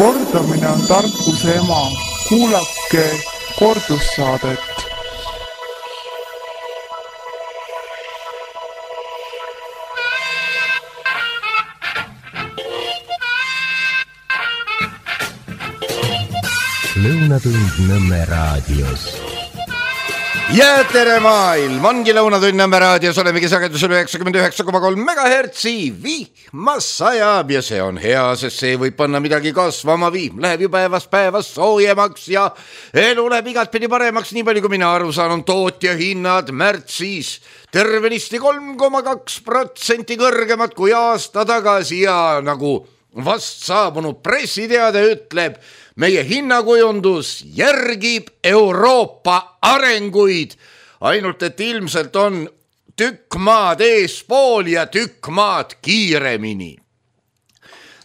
Kordamine on tarkuse ema. Kuulake kordussaadet. Lõunatund Nõmme raadios. Ja tere maailm, ongi Lõunatund Nõmme raadios, olemegi sagedusel 99,3 MHz, vihmas sajab ja see on hea, sest see võib panna midagi kasvama, viim läheb ju päevast päevast soojemaks ja elu läheb igat pidi paremaks, nii palju kui mina aru saan, on tootja hinnad märtsis tervenisti 3,2% kõrgemad kui aasta tagasi ja nagu vast saabunud pressiteade ütleb, meie hinnakujundus järgib Euroopa arenguid, ainult et ilmselt on tükk maad eespool ja tükk maad kiiremini.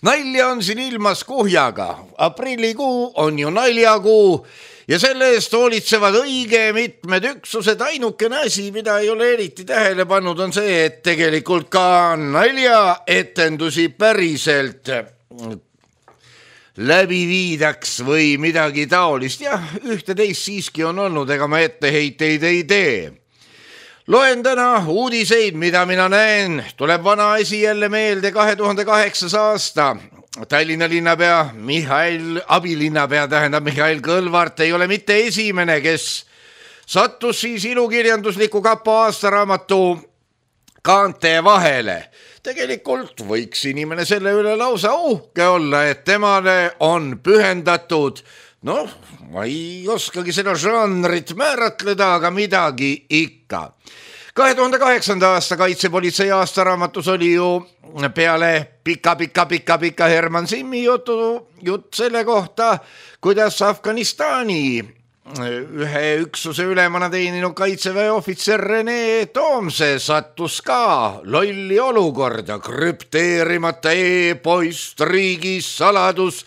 Nalja on siin ilmas kuhjaga, aprillikuu on ju naljakuu ja selle eest hoolitsevad õige mitmed üksused. Ainukene asi, mida ei ole eriti tähele pannud, on see, et tegelikult ka naljaetendusi päriselt läbi viidaks või midagi taolist. Jah, ühte-teist siiski on olnud, ega ma etteheiteid ei tee. Loen täna uudiseid, mida mina näen. Tuleb vana asi jälle meelde 2008. aasta. Tallinna linnapea Mihhail Kõlvart ei ole mitte esimene, kes sattus siis ilukirjandusliku kapo aastaraamatu kaante vahele. Tegelikult võiks inimene selle üle lausa uhke olla, et temale on pühendatud, ma ei oskagi seda žanrit määratleda, aga midagi ikka. 2008. aasta kaitsepolitsei aastaraamatus oli ju peale pika Herman Simmi jutt selle kohta, kuidas Afganistani ühe üksuse ülemana teeninud kaitseväe ohvitser Rene Toomse sattus ka lolli olukorda, krüpteerimata e-post, riigis saladus,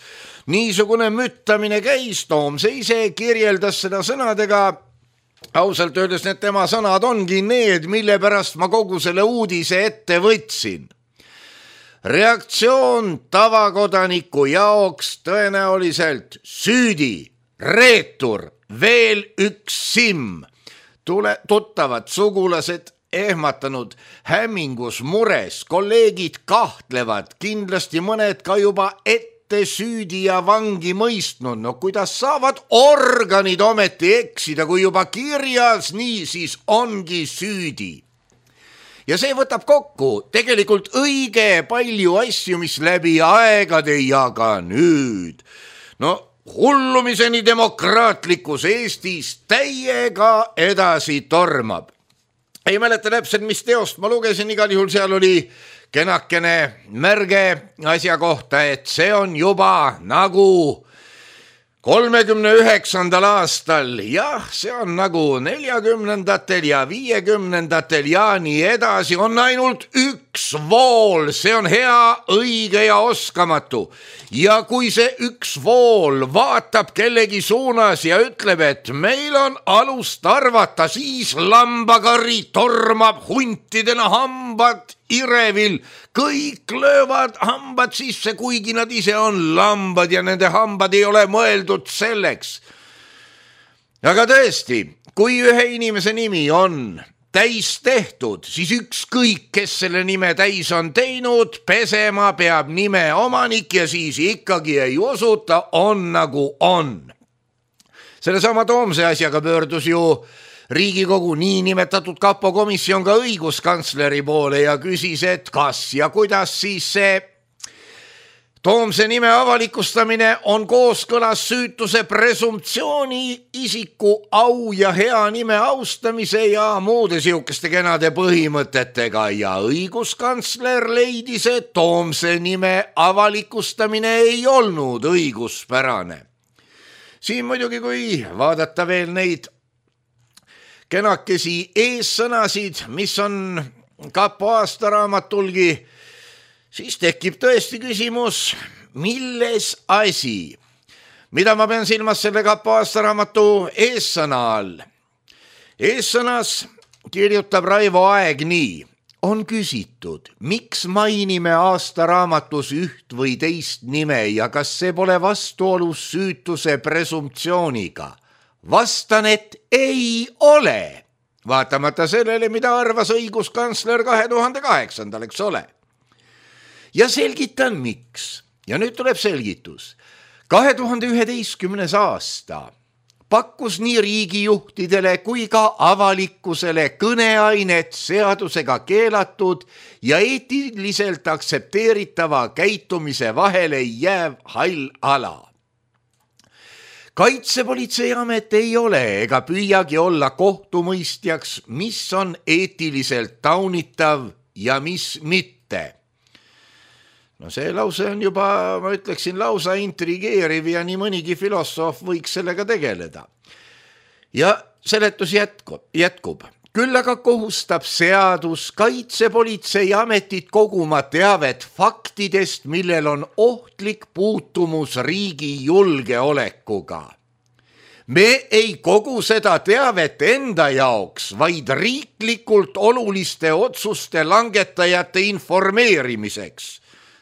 niisugune müttamine käis. Toomse ise kirjeldas seda sõnadega, ausalt öeldes need tema sõnad ongi need, mille pärast ma kogu selle uudise ette võtsin. Reaktsioon tavakodaniku jaoks tõenäoliselt süüdi, reetur, veel üks simm, tuttavad sugulased ehmatanud, hämmingus, mures, kolleegid kahtlevad, kindlasti mõned ka juba ette süüdi ja vangi mõistnud. No kuidas saavad organid ometi eksida, kui juba kirjas, nii siis ongi süüdi. Ja see võtab kokku tegelikult õige palju asju, mis läbi aegade ja ka nüüd. Hullumiseni demokraatlikus Eestis täiega edasi tormab. Ei mäleta täpselt, mis teost ma lugesin, igal juhul seal oli kenakene märge asja kohta, et see on juba nagu 39. aastal, jah, see on nagu 40. ja 50. ja nii edasi, on ainult üks vool, see on hea, õige ja oskamatu. Ja kui see üks vool vaatab kellegi suunas ja ütleb, et meil on alust arvata, siis lambakari tormab huntidena, hambad irevil, kõik löövad hambad sisse, kuigi nad ise on lambad ja nende hambad ei ole mõeldud selleks. Aga tõesti, kui ühe inimese nimi on täis tehtud, siis ükskõik, kes selle nime täis on teinud, pesema peab nime omanik ja siis ikkagi ei usuta, on nagu on. Sellesama Toomse asjaga pöördus ju Riigikogu niinimetatud kapo komisjon ka õiguskantsleri poole ja küsis, et kas ja kuidas siis see Toomse nime avalikustamine on kooskõlas süütuse presumptsiooni, isiku au ja hea nime austamise ja muude siukeste kenade põhimõtetega ja õiguskantsler leidis, et Toomse nime avalikustamine ei olnud õiguspärane. Siin muidugi, kui vaadata veel neid kenakesi eessõnasid, mis on kapo aastaraamatulgi, siis tekib tõesti küsimus, milles asi? Mida ma pean silmas selle kapo aastaraamatu eessõna all? Eessõnas kirjutab Raivo Aeg nii. on küsitud, miks mainime aastaraamatus üht või teist nime ja kas see pole vastuolus süütuse presumptsiooniga? Vastan, et ei ole, vaatamata sellele, mida arvas õiguskantsler 2008, eks ole. Ja selgitan, miks. Ja nüüd tuleb selgitus. 2011. aasta pakkus nii riigijuhtidele kui ka avalikkusele kõneainet seadusega keelatud ja eetiliselt aktsepteeritava käitumise vahele jääv hall ala. Kaitsepolitseiamet ei ole ega püüagi olla kohtumõistjaks, mis on eetiliselt taunitav ja mis mitte. No see lause on juba, ma ütleksin, lausa intrigeeriv ja nii mõnigi filosoof võiks sellega tegeleda. Ja seletus jätkub. Küll aga kohustab seadus Kaitsepolitseiametit koguma teavet faktidest, millel on ohtlik puutumus riigi julgeolekuga. Me ei kogu seda teavet enda jaoks, vaid riiklikult oluliste otsuste langetajate informeerimiseks.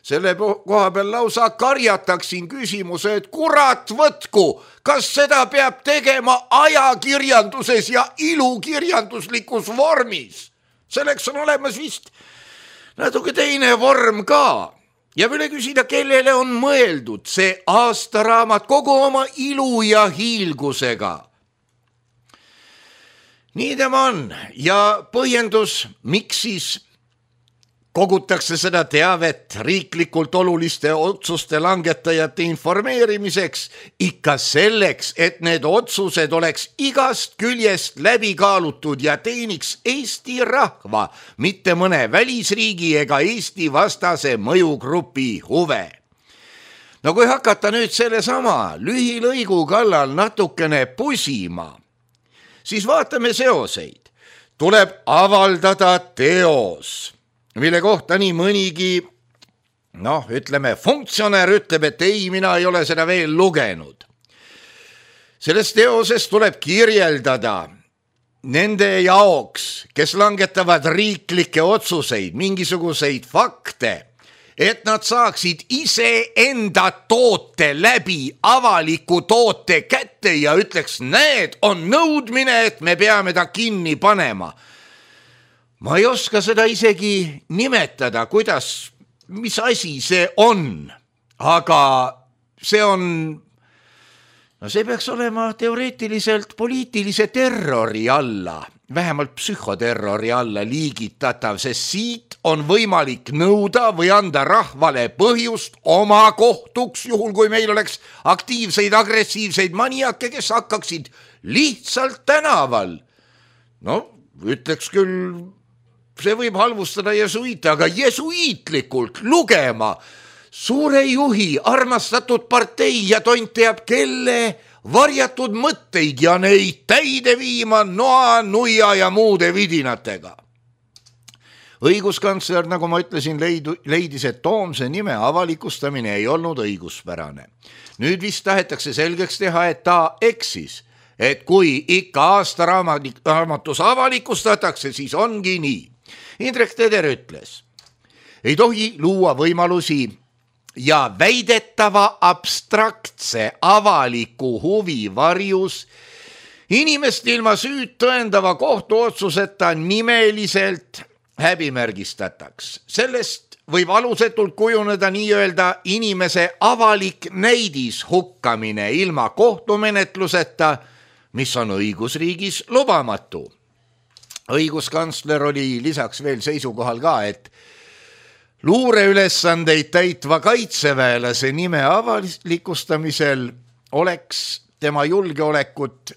Selle koha peal lausa karjataksin küsimuse, et kurat võtku, kas seda peab tegema ajakirjanduses ja ilukirjanduslikus vormis. Selleks on olemas vist natuke teine vorm ka. Ja võile küsida, kellele on mõeldud see aastaraamat kogu oma ilu ja hiilgusega. Nii tema on ja põhjendus, miks siis kogutakse seda teavet riiklikult oluliste otsuste langetajate informeerimiseks ikka selleks, et need otsused oleks igast küljest läbi kaalutud ja teeniks Eesti rahva, mitte mõne välisriigi ega Eesti vastase mõjugrupi huve. No kui hakata nüüd sellesama lühilõigu kallal natukene pusima, siis vaatame seoseid. Tuleb avaldada teos, mille kohta nii mõnigi, funktsionär ütleb, et ei, mina ei ole seda veel lugenud. Selles teoses tuleb kirjeldada nende jaoks, kes langetavad riiklikke otsuseid, mingisuguseid fakte, et nad saaksid iseenda toote läbi avaliku toote kätte ja ütleks, need on nõudmine, et me peame ta kinni panema. Ma ei oska seda isegi nimetada, mis asi see on, aga see on, see peaks olema teoreetiliselt poliitilise terrori alla, vähemalt psühhoterrori alla liigitatav, sest siit on võimalik nõuda või anda rahvale põhjust oma kohtuks, juhul kui meil oleks aktiivseid, agressiivseid maniake, kes hakkaksid lihtsalt tänaval. Ütleks küll, see võib halvustada jesuiite, aga jesuiitlikult lugema suure juhi armastatud partei ja tont teab kelle varjatud mõtteid ja neid täide viima noa, nuia ja muude vidinatega. Õiguskantsler, nagu ma ütlesin, leidis, et Toomse nime avalikustamine ei olnud õiguspärane. Nüüd vist tahetakse selgeks teha, et ta eksis, et kui ikka aastaraamatus avalikustatakse, siis ongi nii. Indrek Teder ütles, ei tohi luua võimalusi ja väidetava abstraktse avaliku huvi varjus inimest ilma süüd tõendava kohtuotsuseta nimeliselt häbimärgistataks. Sellest võib alusetult kujuneda nii-öelda inimese avalik näidis hukkamine ilma kohtumenetluseta, mis on õigusriigis lubamatu. Õiguskantsler oli lisaks veel seisukohal ka, et luureülesandeid täitva kaitseväelase nime avalikustamisel oleks tema julgeolekut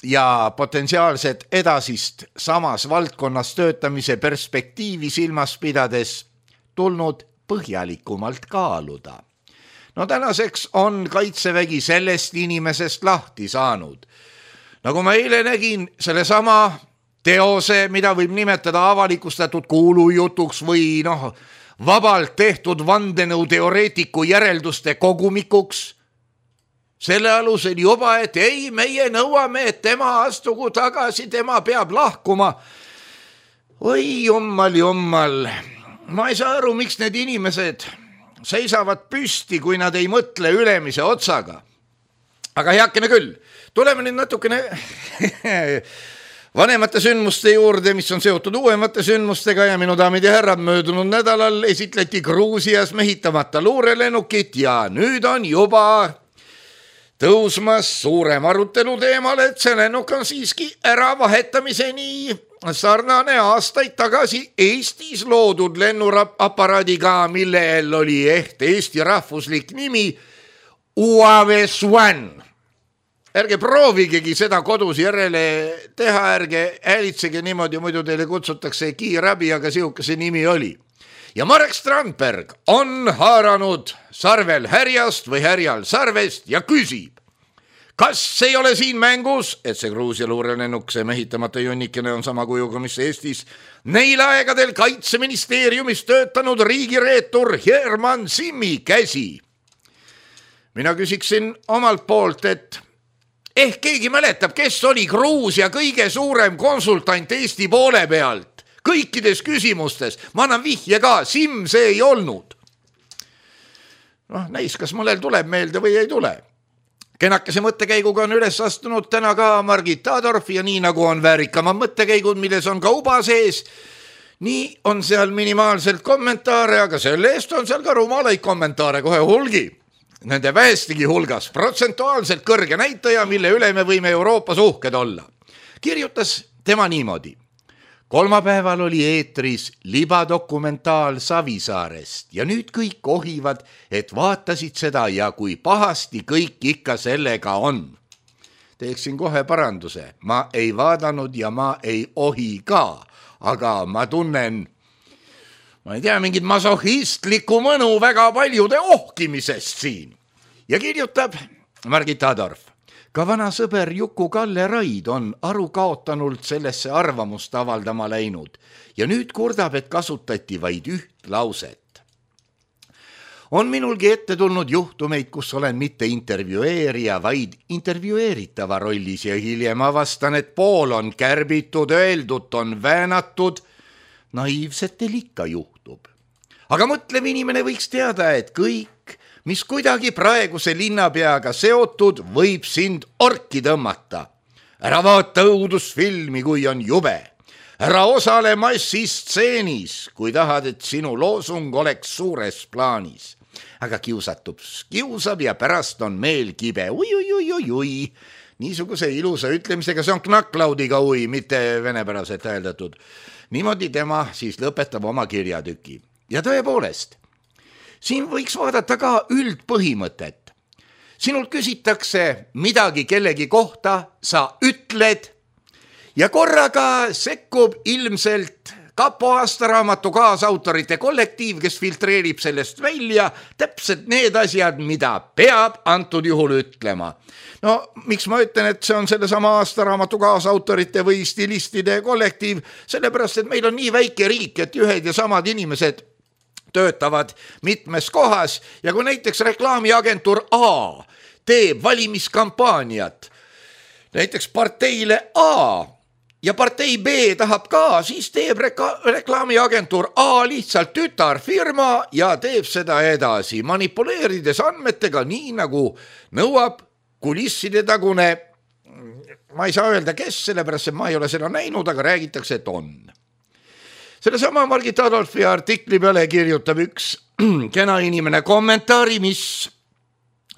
ja potentsiaalset edasist samas valdkonnas töötamise perspektiivi silmas pidades tulnud põhjalikumalt kaaluda. Tänaseks on kaitsevägi sellest inimesest lahti saanud. Nagu ma eile nägin, sellesama teose, mida võib nimetada avalikustatud kuulujutuks või vabalt tehtud vandenõuteoreetiku järelduste kogumikuks, selle alusel juba, et ei, meie nõuame, et tema astugu tagasi, tema peab lahkuma. oi jummal, ma ei saa aru, miks need inimesed seisavad püsti, kui nad ei mõtle ülemise otsaga. Aga heakene küll, tuleme nüüd natukene vanemate sündmuste juurde, mis on seotud uuemate sündmustega ja minu daamid ja härrad, möödunud nädalal esitleti Gruusias mehitamata luurelennukit ja nüüd on juba tõusmas suurem arutelu teemal, et see lennuk on siiski äravahetamiseni sarnane aastaid tagasi Eestis loodud lennuaparaadiga, millel oli Eesti rahvuslik nimi UAV-1. Ärge proovigegi seda kodus järele teha, ärge häälitsege niimoodi, muidu teile kutsutakse kiirabi, aga sihuke nimi oli. Ja Marek Strandberg on haaranud sarvel härjast või härjal sarvest ja küsib, kas ei ole siin mängus, et see Gruusia luurelennuk, see mehitamata junnikene on sama kujuga, mis Eestis neil aegadel Kaitseministeeriumis töötanud riigireetur Herman Simmi käsi. Mina küsiksin omalt poolt, et ehk keegi mäletab, kes oli Gruusia kõige suurem konsultant Eesti poole pealt kõikides küsimustes. Ma annan vihje ka, Simm see ei olnud. Näis, kas mõnel tuleb meelde või ei tule. Kenakese mõttekäiguga on üles astunud täna ka Margit Adorf ja nii nagu on väärikama mõttekäigud, milles on ka uba sees, nii on seal minimaalselt kommentaare, aga selle eest on seal ka rumalaid kommentaare kohe hulgi. Nende vähestigi hulgas protsentuaalselt kõrge näitaja, mille üle me võime Euroopas uhked olla. Kirjutas tema niimoodi. Kolmapäeval oli eetris libadokumentaal Savisaarest ja nüüd kõik ohivad, et vaatasid seda ja kui pahasti kõik ikka sellega on. Teeksin kohe paranduse. Ma ei vaadanud ja ma ei ohi ka, aga ma tunnen, ma ei tea, mingit masohistlikku mõnu väga paljude ohkimisest siin. Ja kirjutab Margit Adorf. Ka vana sõber Juku-Kalle Raid on aru kaotanult sellesse arvamust avaldama läinud ja nüüd kurdab, et kasutati vaid üht lauset. On minulgi ette tulnud juhtumeid, kus olen mitte intervjueerija, vaid intervjueeritava rollis ja hiljem avastan, et pool on kärbitud, öeldut on väänatud. Naiivsetel ikka juhtub. Aga mõtlev inimene võiks teada, et kõik, mis kuidagi praeguse linnapeaga seotud, võib sind orki tõmmata. Ära vaata õudusfilmi, kui on jube. Ära osale massistseenis, kui tahad, et sinu loosung oleks suures plaanis. Aga kiusab ja pärast on meel kibe. Ui. Niisuguse ilusa ütlemisega, see on knacklaudiga ui, mitte venepäraselt hääldatud. Niimoodi tema siis lõpetab oma kirjatüki. Ja tõepoolest, siin võiks vaadata ka üldpõhimõtet. Sinult küsitakse midagi kellegi kohta, sa ütled ja korraga sekkub ilmselt Kapo aastaraamatu kaasautorite kollektiiv, kes filtreerib sellest välja täpselt need asjad, mida peab antud juhul ütlema. No, miks ma ütlen, et see on sellesama aastaraamatu kaasautorite või stilistide kollektiiv, sellepärast, et meil on nii väike riik, et ühed ja samad inimesed töötavad mitmes kohas ja kui näiteks reklaamiagentuur A teeb valimiskampaaniat näiteks parteile A ja partei B tahab ka, siis teeb reklaamiagentuur A lihtsalt tütarfirma ja teeb seda edasi, manipuleerides andmetega nii nagu nõuab kulisside tagune, ma ei saa öelda, kes, sellepärast, et ma ei ole seda näinud, aga räägitakse, et on. Selle sama Margit Adolfi artikli peale kirjutab üks kena inimene kommentaari, mis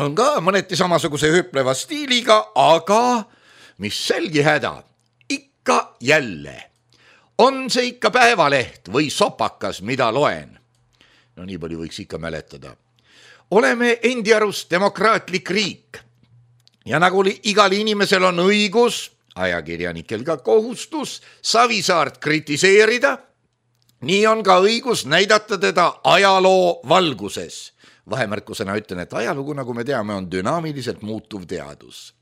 on ka mõneti samasuguse hüpleva stiiliga, aga mis selgi häda, ikka jälle. On see ikka Päevaleht või sopakas, mida loen? No nii palju võiks ikka mäletada. Oleme endi arust demokraatlik riik ja nagu igal inimesel on õigus, ajakirjanikel ka kohustus, Savisaart kritiseerida, nii on ka õigus näidata teda ajaloo valguses. Vahemärkusena ütlen, et ajalugu, nagu me teame, on dünaamiliselt muutuv teadus.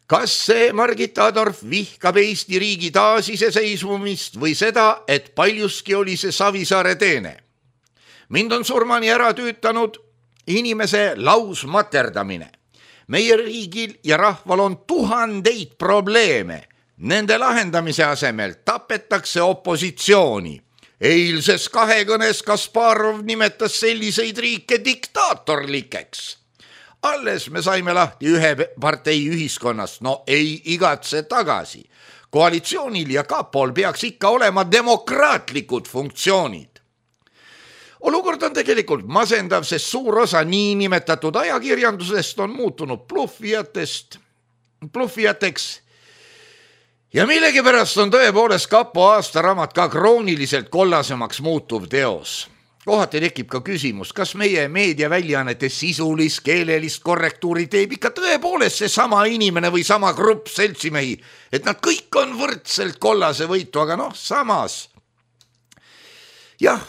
Kas see Margit Adorf vihkab Eesti riigi taasiseseisvumist või seda, et paljuski oli see Savisaare teene? Mind on surmani ära tüütanud inimese lausmaterdamine. Meie riigil ja rahval on tuhandeid probleeme. Nende lahendamise asemel tapetakse opositsiooni. Eilses kahekõnes Kasparov nimetas selliseid riike diktaatorlikeks. Alles me saime lahti ühe partei ühiskonnast, no ei igatse tagasi. Koalitsioonil ja kapol peaks ikka olema demokraatlikud funktsioonid. Olukord on tegelikult masendav, sest suur osa niinimetatud ajakirjandusest on muutunud bluffijateks. Ja millegipärast on tõepoolest kapo aastaraamat ka krooniliselt kollasemaks muutuv teos. Kohati tekib ka küsimus, kas meie meediaväljaannete sisulist keelelist korrektuuri teeb ikka tõepoolest see sama inimene või sama grupp seltsimehi, et nad kõik on võrdselt kollase võitu, aga samas. Jah,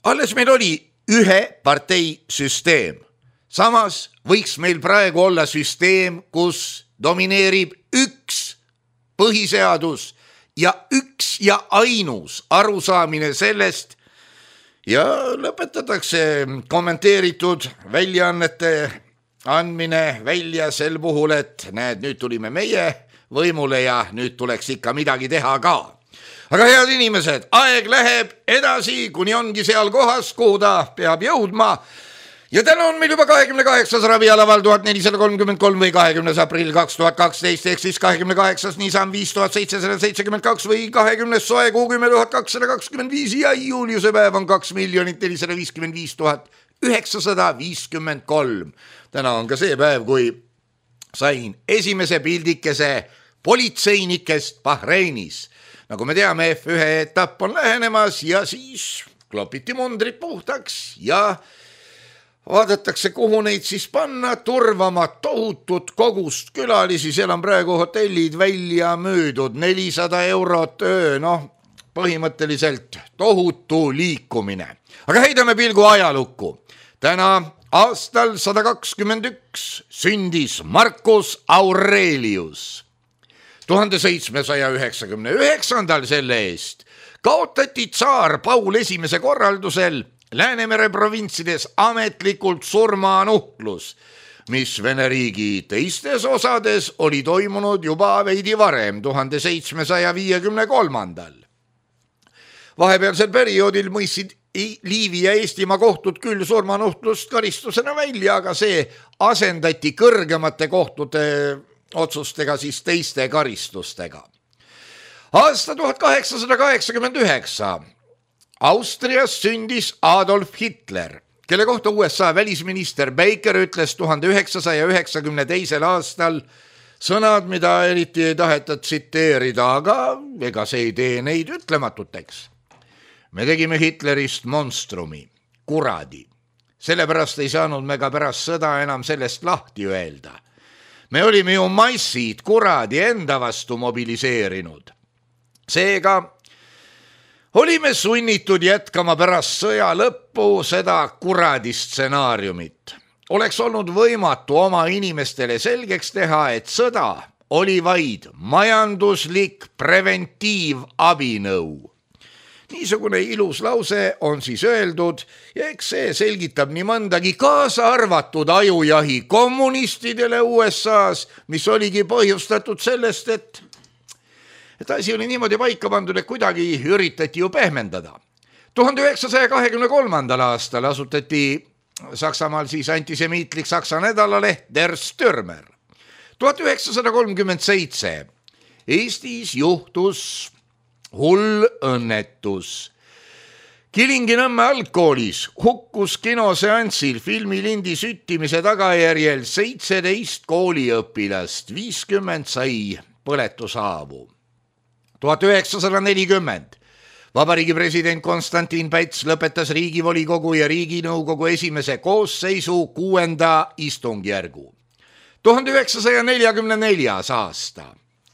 alles meil oli ühe partei süsteem. Samas võiks meil praegu olla süsteem, kus domineerib üks põhiseadus ja üks ja ainus arusaamine sellest ja lõpetatakse kommenteeritud väljaannete andmine välja sel puhul, et näed, nüüd tulime meie võimule ja nüüd tuleks ikka midagi teha ka. Aga head inimesed, aeg läheb edasi, kuni ongi seal kohas, kuhu ta peab jõudma. Ja täna on meil juba 28. ravialaval 1433 või 20. aprill 2012, ehk siis 28. Nisan 5772 või 20. soe kuu 10 225 ja juuliuse päev on 2 455 953. Täna on ka see päev, kui sain esimese pildikese politseinikest Bahreinis. Nagu me teame, F1 etapp on lähenemas ja siis klopiti mundrid puhtaks ja vaadatakse, kuhu neid siis panna, turvama tohutut kogust külalisi, seal on praegu hotellid välja müüdud, 400 eurot öö, põhimõtteliselt tohutu liikumine. Aga heidame pilgu ajalukku. Täna aastal 121 sündis Marcus Aurelius. 1799 selle eest kaotati tsaar Paul I korraldusel Läänemere provintsides ametlikult surmanuhtlus, mis Vene riigi teistes osades oli toimunud juba veidi varem, 1753. Vahepealsel perioodil mõistsid Liivi ja Eestimaa kohtud küll surmanuhtlust karistusena välja, aga see asendati kõrgemate kohtute otsustega siis teiste karistustega. Aasta 1889 Austrias sündis Adolf Hitler, kelle kohta USA välisminister Baker ütles 1992. aastal sõnad, mida eriti ei taheta tsiteerida, aga ega see ei tee neid ütlematuteks. Me tegime Hitlerist monstrumi, kuradi. Sellepärast ei saanud me ka pärast sõda enam sellest lahti öelda. Me olime ju massid kuradi enda vastu mobiliseerinud. Seega olime sunnitud jätkama pärast sõja lõppu seda kuradi stsenaariumit. Oleks olnud võimatu oma inimestele selgeks teha, et sõda oli vaid majanduslik preventiivabinõu. Niisugune ilus lause on siis öeldud ja eks see selgitab nii mõndagi, kaasa arvatud ajujahi kommunistidele USA-s, mis oligi põhjustatud sellest, et asi oli niimoodi paika pandud, et kuidagi üritati ju pehmendada. 1923. aastal asutati Saksamaal siis antisemiitlik Saksa nädalaleht Der Stürmer. 1937 Eestis juhtus hull õnnetus. Kilingi-Nõmme algkoolis hukkus kinoseansil filmilindi süttimise tagajärjel 17 kooliõpilast, 50 sai põletushaavu. 1940 Vabariigi president Konstantin Päts lõpetas Riigivolikogu ja Riiginõukogu esimese koosseisu 6. istungjärgu. 1944. aasta,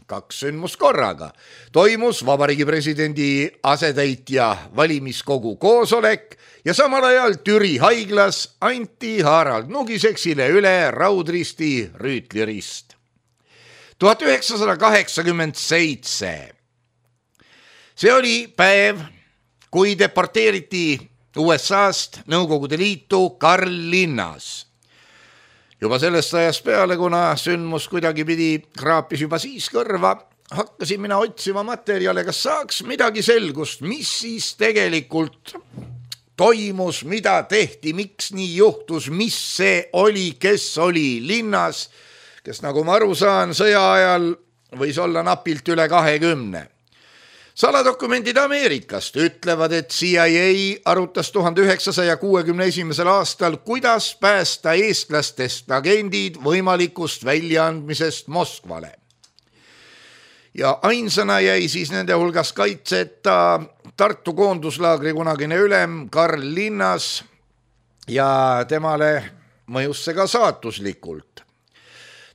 2 sündmust korraga, toimus Vabariigi presidendi asetäitja valimiskogu koosolek ja samal ajal Türi haiglas anti Harald Nugiseksile üle Raudristi rüütlirist. 1987 see oli päev, kui deporteeriti USA-st Nõukogude Liitu Karl Linnas. Juba sellest ajast peale, kuna sündmus kuidagi pidi kraapis juba siis kõrva, hakkasin mina otsima materjale, kas saaks midagi selgust, mis siis tegelikult toimus, mida tehti, miks nii juhtus, mis see oli, kes oli linnas, kes nagu ma aru saan, sõja ajal võis olla napilt üle 20. Saladokumendid Ameerikast ütlevad, et CIA arutas 1961. aastal, kuidas päästa eestlastest agendid võimalikust väljaandmisest Moskvale. Ja ainsana jäi siis nende hulgas kaitseta Tartu koonduslaagri kunagine ülem Karl Linnas ja temale mõjus see ka saatuslikult.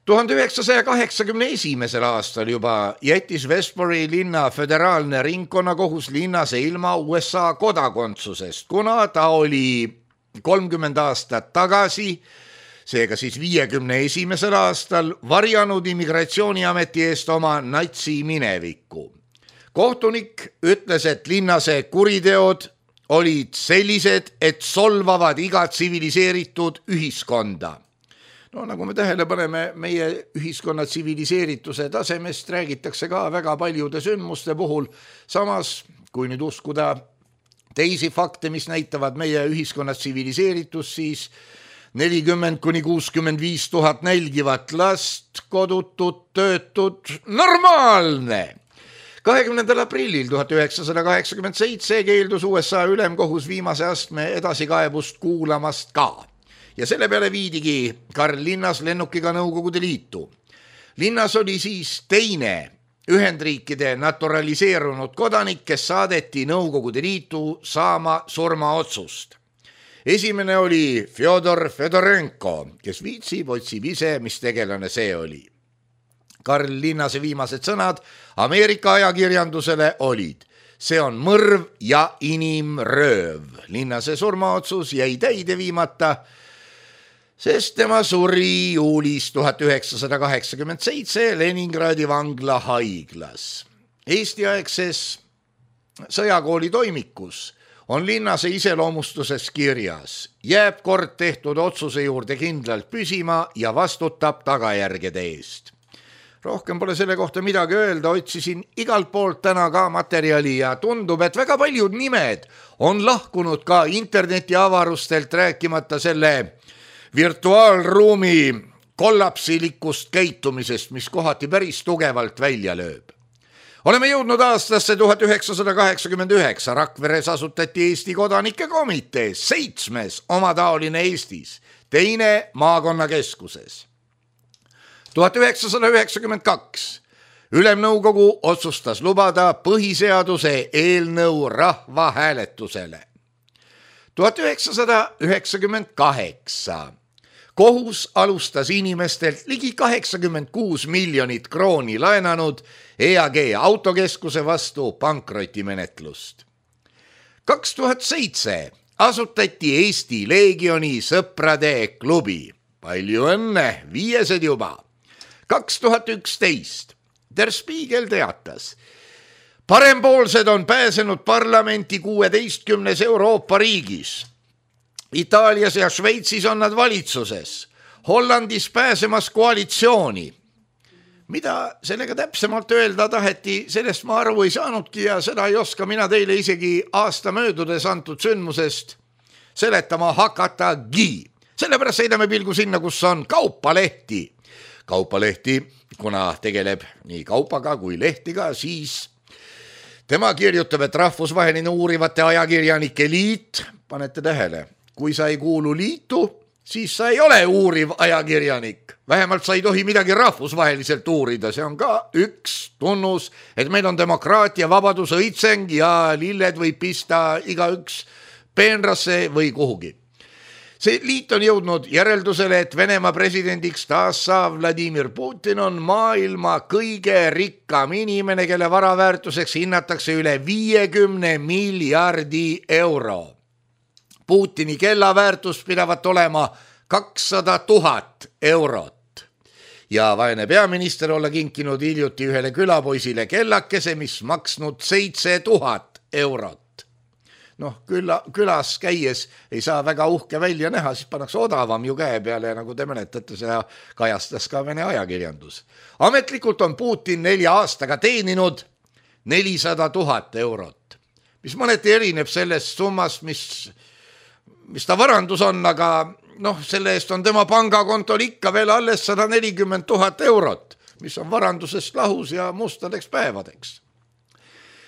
1981. aastal juba jättis Westbury linna föderaalne ringkonnakohus Linnase ilma USA kodakondsusest, kuna ta oli 30 aastat tagasi, seega siis 51. aastal varjanud immigratsiooniameti eest oma natsi minevikku. Kohtunik ütles, et Linnase kuriteod olid sellised, et solvavad iga tsiviliseeritud ühiskonda. No nagu me tähele paneme, meie ühiskonna tsiviliseerituse tasemest räägitakse ka väga paljude sündmuste puhul. Samas, kui nüüd uskuda teisi fakte, mis näitavad meie ühiskonna tsiviliseeritust, siis 40–65 000 nälgivat last, kodutut, töötud, normaalne. 20. aprillil 1987 keeldus USA ülemkohus viimase astme edasikaebust kuulamast ka. Ja selle peale viidigi Karl Linnas lennukiga Nõukogude Liitu. Linnas oli siis teine Ühendriikide naturaliseerunud kodanik, kes saadeti Nõukogude Liitu saama surmaotsust. Esimene oli Fjodor Fedorenko, kes viitsib, otsib ise, mis tegelane see oli. Karl Linnase viimased sõnad Ameerika ajakirjandusele olid: see on mõrv ja inimrööv. Linnase surmaotsus jäi täide viimata, sest tema suri juulis 1987 Leningradi vangla haiglas. Eesti-aegses sõjakooli toimikus on Linnase iseloomustuses kirjas: jääb kord tehtud otsuse juurde kindlalt püsima ja vastutab tagajärgede eest. Rohkem pole selle kohta midagi öelda, otsisin igalt poolt täna ka materjali ja tundub, et väga paljud nimed on lahkunud ka interneti avarustelt, rääkimata selle virtuaalruumi kollapsilikust käitumisest, mis kohati päris tugevalt välja lööb. Oleme jõudnud aastasse 1989. Rakveres asutati Eesti kodanike komitee, 7. omataoline Eestis, 2. maakonnakeskuses. 1992 Ülemnõukogu otsustas lubada põhiseaduse eelnõu rahvahääletusele. 1998 kohus alustas inimestelt ligi 86 miljonit krooni laenanud EAG autokeskuse vastu pankrotimenetlust. 2007 asutati Eesti Leegioni sõprade klubi. Palju õnne, 5. juba. 2011 Der Spiegel teatas: parempoolsed on pääsenud parlamenti 16 Euroopa riigis. Itaalias ja Šveitsis on nad valitsuses, Hollandis pääsemas koalitsiooni. Mida sellega täpsemalt öelda taheti, sellest ma aru ei saanudki ja seda ei oska mina teile isegi aasta möödudes antud sündmusest seletama hakatagi. Sellepärast seidame pilgu sinna, kus on Kaupalehti. Kaupalehti, kuna tegeleb nii kaupaga kui lehtiga, siis tema kirjutab, et rahvusvaheline uurivate ajakirjanike liit, panete tähele, kui sa ei kuulu liitu, siis sa ei ole uuriv ajakirjanik. Vähemalt sa ei tohi midagi rahvusvaheliselt uurida. See on ka üks tunnus, et meil on demokraatia, vabadus, õitseng ja lilled võib pista igaüks peenrasse või kuhugi. See liit on jõudnud järeldusele, et Venemaa presidendiks taas saav Vladimir Putin on maailma kõige rikkam inimene, kelle varaväärtuseks hinnatakse üle 50 miljardi euro. Putini kellaväärtus pidavat olema 200 000 eurot. Ja vaene peaminister olla kinkinud hiljuti ühele külapoisile kellakese, mis maksnud 7000 eurot. külas käies ei saa väga uhke välja näha, siis pannakse odavam ju käe peale ja nagu te mäletate, seda kajastas ka Vene ajakirjandus. Ametlikult on Putin 4 aastaga teeninud 400 000 eurot, mis mõneti erineb sellest summast, mis ta varandus on, aga selle eest on tema pangakontol ikka veel alles 140 000 eurot, mis on varandusest lahus ja mustadeks päevadeks.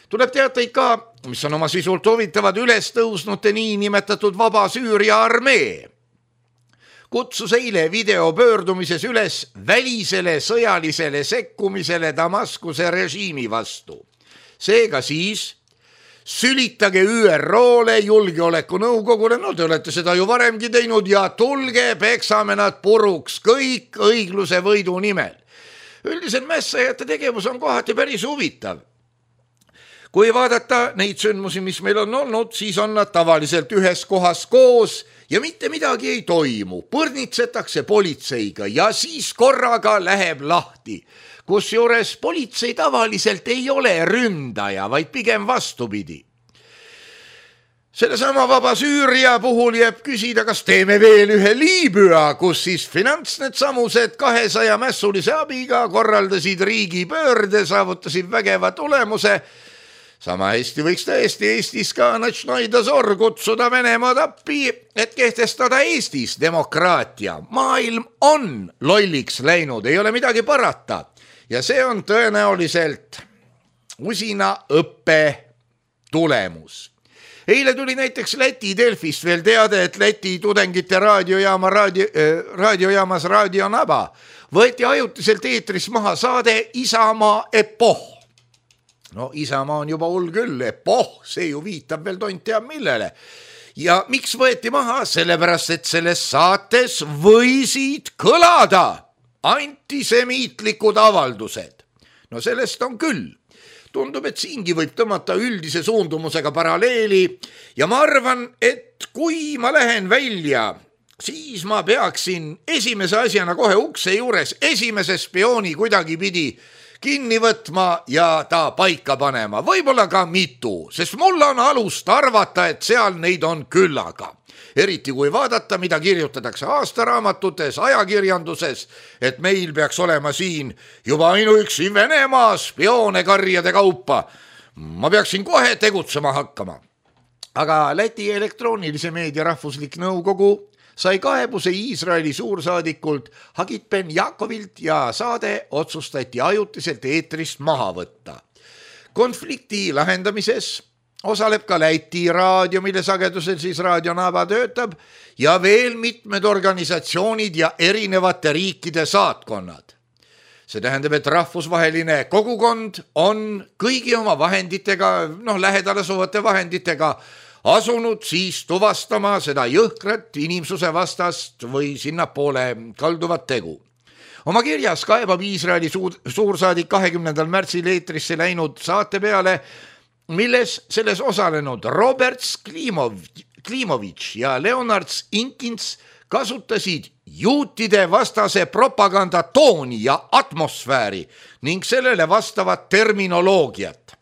Tuleb teateid ka, mis on oma sisult huvitavad üles tõusnute niinimetatud vaba Süüria armee. Kutsus eile videopöördumises üles välisele sõjalisele sekkumisele Damaskuse režiimi vastu. Seega siis sülitage ÜRO-le, julgeolekunõukogule, te olete seda ju varemgi teinud ja tulge, peksame nad puruks kõik õigluse võidu nimel. Üldiselt mässajate tegevus on kohati päris huvitav. Kui vaadata neid sündmusi, mis meil on olnud, siis on nad tavaliselt ühes kohas koos ja mitte midagi ei toimu. Põrnitsetakse politseiga ja siis korraga läheb lahti. Kusjuures politsei tavaliselt ei ole ründaja, vaid pigem vastupidi. Sellesama vaba Süüria puhul jääb küsida, kas teeme veel ühe Liibüa, kus siis finantsnedsamused 200 mässulise abiga korraldasid riigipöörde, saavutasid vägeva tulemuse. Sama hästi võiks tõesti Eestis ka Natšnoi Dozor kutsuda Venemaad appi, et kehtestada Eestis demokraatia. Maailm on lolliks läinud, ei ole midagi parata. Ja see on tõenäoliselt usina õppe tulemus. Eile tuli näiteks Läti Delfist veel teade, et Läti tudengite raadiojaamas Radio Naba võeti ajutiselt eetris maha saade Isamaa epoh. Isamaa on juba hull küll, epoh, see ju viitab veel tont teab millele. Ja miks võeti maha? Sellepärast, et selles saates võisid kõlada antisemiitlikud avaldused. Sellest on küll. Tundub, et siingi võib tõmmata üldise suundumusega paralleeli ja ma arvan, et kui ma lähen välja, siis ma peaksin esimese asjana kohe ukse juures esimese spiooni kuidagi pidi kinni võtma ja ta paika panema, võib-olla ka mitu, sest mul on alust arvata, et seal neid on küllaga. Eriti kui vaadata, mida kirjutatakse aastaraamatutes, ajakirjanduses, et meil peaks olema siin juba ainuüksi Venemaa spioone karjade kaupa. Ma peaksin kohe tegutsema hakkama. Aga Läti elektroonilise meedia rahvuslik nõukogu sai kaebuse Iisraeli suursaadikult Hagit Ben Jakovilt ja saade otsustati ajutiselt eetrist maha võtta. Konflikti lahendamises osaleb ka Läti raadio, mille sagedusel siis Radio Naba töötab ja veel mitmed organisatsioonid ja erinevate riikide saatkonnad. See tähendab, et rahvusvaheline kogukond on kõigi oma vahenditega, lähedal asuvate vahenditega asunud siis tuvastama seda jõhkrat inimsuse vastast või sinnapoole kalduvat tegu. Oma kirjas kaebab Iisraeli suursaadik 20. märtsil eetrisse läinud saate peale, milles selles osalenud Robert Klimovitš ja Leonard Inkins kasutasid juutide vastase propaganda tooni ja atmosfääri ning sellele vastavat terminoloogiat.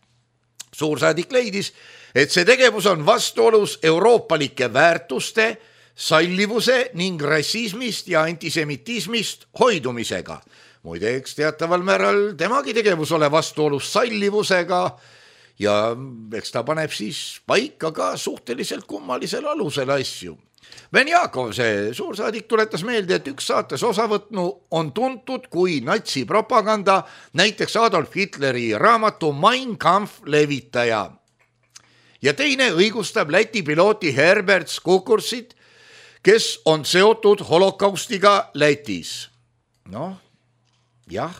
Suursaadik leidis, et see tegevus on vastuolus euroopalike väärtuste, sallivuse ning rassismist ja antisemitismist hoidumisega. Muideks teataval määral temagi tegevus ole vastuolus sallivusega ja eks ta paneb siis paika ka suhteliselt kummalisel alusel asju. Ben Jakov, see suursaadik, tuletas meelde, et üks saates osavõtnu on tuntud kui natsipropaganda, näiteks Adolf Hitleri raamatu Mein Kampf levitaja. Ja teine õigustab Läti pilooti Herbert Skukursit, kes on seotud holokaustiga Lätis. Jah,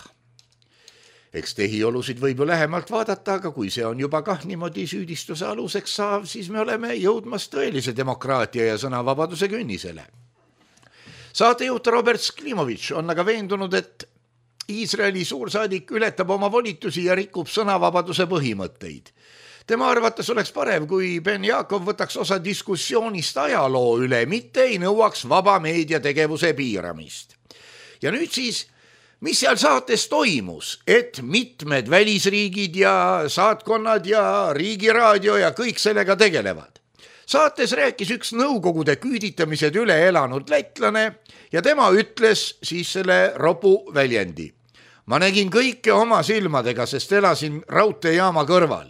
eks tehiolusid võib ju lähemalt vaadata, aga kui see on juba kah niimoodi süüdistuse aluseks saav, siis me oleme jõudmas tõelise demokraatia ja sõnavabaduse künnisele. Saatejuht Robert Klimovitš on aga veendunud, et Iisraeli suursaadik ületab oma volitusi ja rikub sõnavabaduse põhimõtteid. Tema arvates oleks parem, kui Ben Jakov võtaks osa diskussioonist ajaloo üle, mitte ei nõuaks vaba meedia tegevuse piiramist. Ja nüüd siis, mis seal saates toimus, et mitmed välisriigid ja saatkonnad ja riigiraadio ja kõik sellega tegelevad. Saates rääkis üks nõukogude küüditamised üle elanud lätlane ja tema ütles siis selle ropu väljendi. Ma nägin kõike oma silmadega, sest elasin raudteejaama kõrval.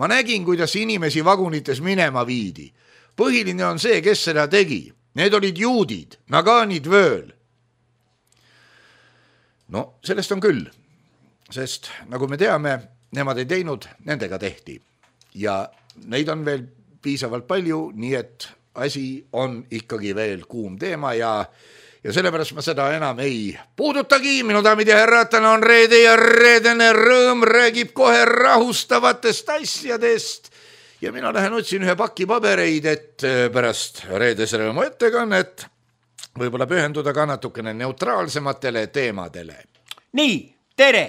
Ma nägin, kuidas inimesi vagunites minema viidi. Põhiline on see, kes seda tegi. Need olid juudid, nagaanid vööl. No, sellest on küll, sest nagu me teame, nemad ei teinud, nendega tehti. Ja neid on veel piisavalt palju, nii et asi on ikkagi veel kuum teema ja sellepärast ma seda enam ei puudutagi. Minu daamid ja härrad, täna on reede ja reedene rõõm räägib kohe rahustavatest asjadest ja mina lähen otsin ühe paki pabereid, et pärast reedese rõõmu ettekannet võib-olla pühenduda ka natukene neutraalsematele teemadele. Nii, tere!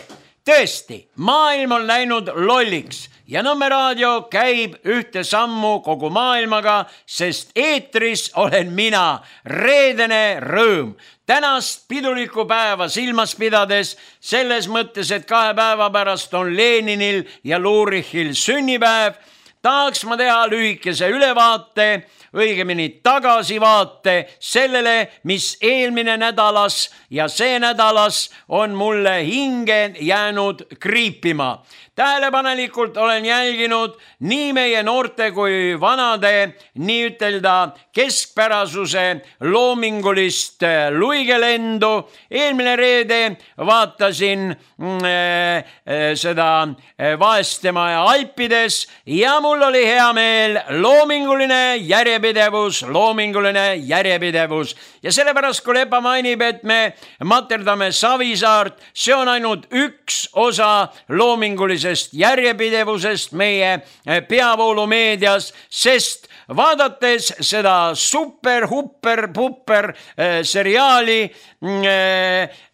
Tõesti, maailm on läinud lolliks ja Nõmme raadio käib ühte sammu kogu maailmaga, sest eetris olen mina, reedene rõõm. Tänast pidulikku päeva silmas pidades, selles mõttes, et 2 päeva pärast on Leninil ja Lurichil sünnipäev, tahaks ma teha lühikese ülevaate, õigemini tagasivaate sellele, mis eelmine nädalas ja see nädalas on mulle hinge jäänud kriipima. Tähelepanelikult olen jälginud nii meie noorte kui vanade, nii ütelda keskpärasuse loomingulist luigelendu. Eelmine reede vaatasin seda Vaestemaja Alpides ja mul oli hea meel. Loominguline järjepidevus. Ja sellepärast, kui Lepa mainib, et me materdame Savisaart, see on ainult üks osa loomingulisest järjepidevusest meie peavoolumeedias, sest vaadates seda super-hupper-pupper seriaali,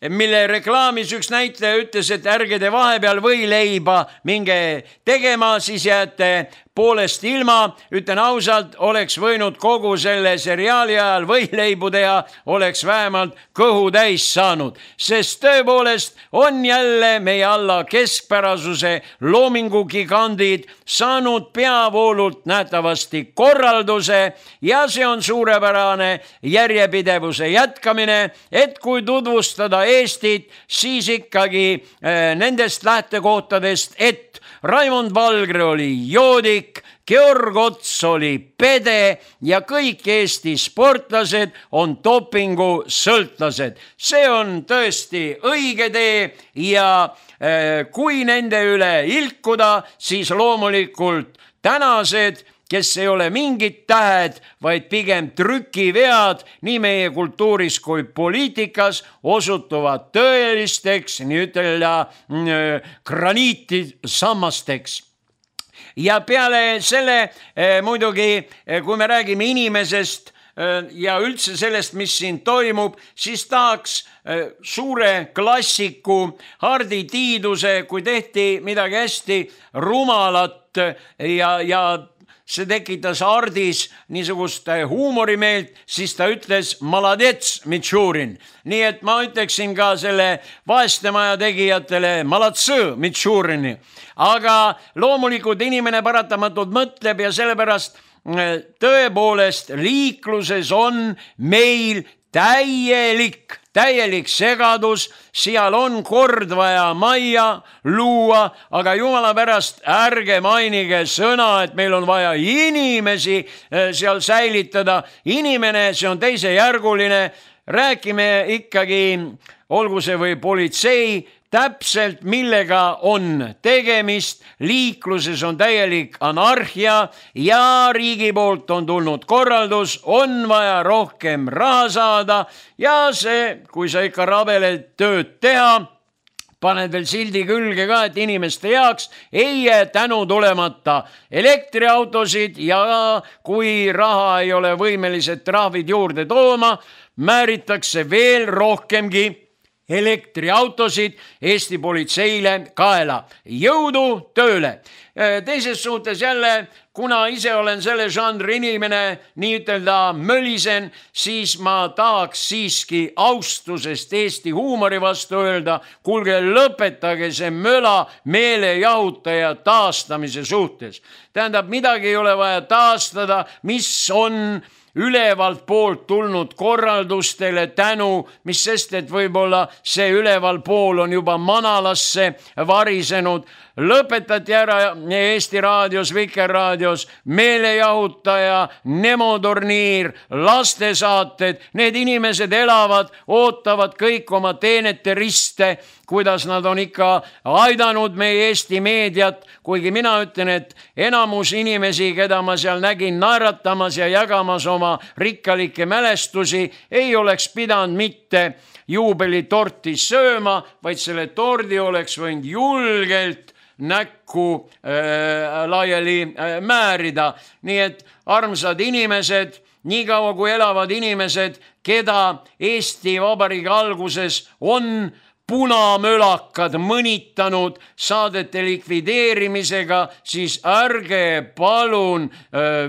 mille reklaamis üks näitleja ütles, et ärge te vahepeal võileiba minge tegema, siis jääte poolest ilma. Ütlen ausalt, oleks võinud kogu selle seriaali ajal võileibu teha, oleks vähemalt kõhu täis saanud, sest tõepoolest on jälle meie alla keskpärasuse loomingugigandid saanud peavoolult nähtavasti korralduse ja see on suurepärane järjepidevuse jätkamine, et kui tutvustada Eestit, siis ikkagi nendest lähtekohtadest, et Raimond Valgre oli joodik, Georg Ots oli pede ja kõik Eesti sportlased on dopingu sõltlased. See on tõesti õige tee ja kui nende üle ilkuda, siis loomulikult tänased, kes ei ole mingid tähed, vaid pigem trükivead nii meie kultuuris kui poliitikas, osutuvad tõelisteks, nii ütelda graniitisammasteks. Ja peale selle muidugi, kui me räägime inimesest ja üldse sellest, mis siin toimub, siis tahaks suure klassiku Hardi Tiiduse, kui tehti midagi hästi rumalat ja see tekitas Hardis niisugust huumorimeelt, siis ta ütles maladets, Mitšurin. Nii et ma ütleksin ka selle Vaestemaja tegijatele malatsõ, Mitšurini. Aga loomulikult inimene paratamatult mõtleb ja sellepärast tõepoolest liikluses on meil täielik segadus, seal on kord vaja majja luua, aga jumala pärast ärge mainige sõna, et meil on vaja inimesi seal säilitada. Inimene, see on teisejärguline, räägime ikkagi, olgu see või politsei, täpselt millega on tegemist. Liikluses on täielik anarhia ja riigi poolt on tulnud korraldus, on vaja rohkem raha saada ja see, kui sa ikka rabeled tööd teha, paned veel sildi külge ka, et inimeste jaoks ei jää tänu tulemata elektriautosid ja kui raha ei ole võimelised trahvid juurde tooma, määritakse veel rohkemgi elektriautosid Eesti politseile kaela. Jõudu tööle! Teises suhtes jälle, kuna ise olen selle žanri inimene, nii ütelda mölisen, siis ma tahaks siiski austusest Eesti huumori vastu öelda, kuulge, lõpetage see möla meelejahutaja taastamise suhtes. Tähendab, midagi ei ole vaja taastada, mis on ülevalt poolt tulnud korraldustele tänu, mis sest, et võib-olla see üleval pool on juba manalasse varisenud. Lõpetati ära Eesti raadios, Vikerraadios meelejahutaja, nemoturniir, lastesaated. Need inimesed elavad, ootavad kõik oma teenete riste, kuidas nad on ikka aidanud meie Eesti meediat, kuigi mina ütlen, et enamus inimesi, keda ma seal nägin naeratamas ja jagamas oma rikkalikke mälestusi, ei oleks pidanud mitte juubelitorti sööma, vaid selle tordi oleks võinud julgelt näkku laiali määrida. Nii et armsad inimesed, nii kaua kui elavad inimesed, keda Eesti Vabariigi alguses on punamölakad mõnitanud saadete likvideerimisega, siis ärge palun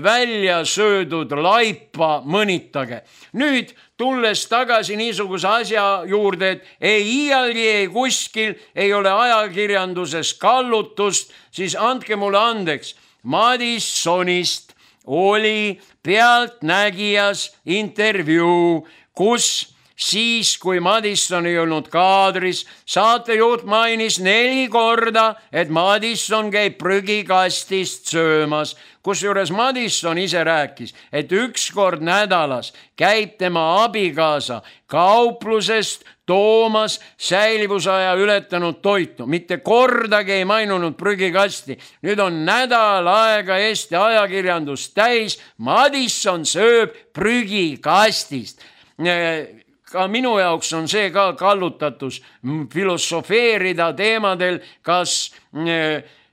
välja söödud laipa mõnitage. Nüüd tulles tagasi niisuguse asja juurde, et ei iialgi ei kuskil ei ole ajakirjanduses kallutust, siis andke mulle andeks. Madissonist oli Pealtnägijas intervjuu, kus siis, kui Madisson ei olnud kaadris, saatejuht mainis 4 korda, et Madisson käib prügikastist söömas. Kusjuures Madisson ise rääkis, et 1 kord nädalas käib tema abikaasa kauplusest toomas säilivusaja ületanud toitu. Mitte kordagi ei mainunud prügikasti. Nüüd on nädal aega Eesti ajakirjandus täis. Madisson sööb prügikastist. Ka minu jaoks on see ka kallutatus filosofeerida teemadel, kas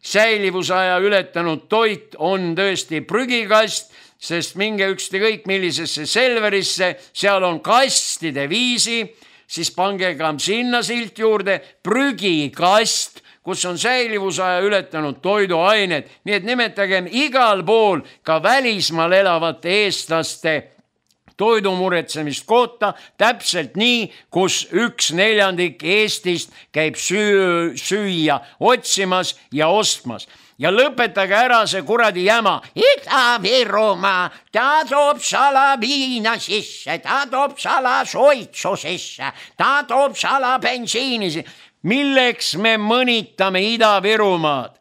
säilivusaja ületanud toit on tõesti prügikast, sest minge ükskõik millisesse Selverisse, seal on kastide viisi, siis pange ka sinna silt juurde prügikast, kus on säilivusaja ületanud toiduained. Nii et nimetagem igal pool ka välismaal elavate eestlaste toidumuretsemist kohta täpselt nii, kus 1/4 Eestist käib süüa otsimas ja ostmas. Ja lõpetage ära see kuradi jäma. Ida-Virumaa, ta toob salaviina sisse, ta toob salasoitsu sisse, ta toob salabensiini sisse. Milleks me mõnitame Ida-Virumaad?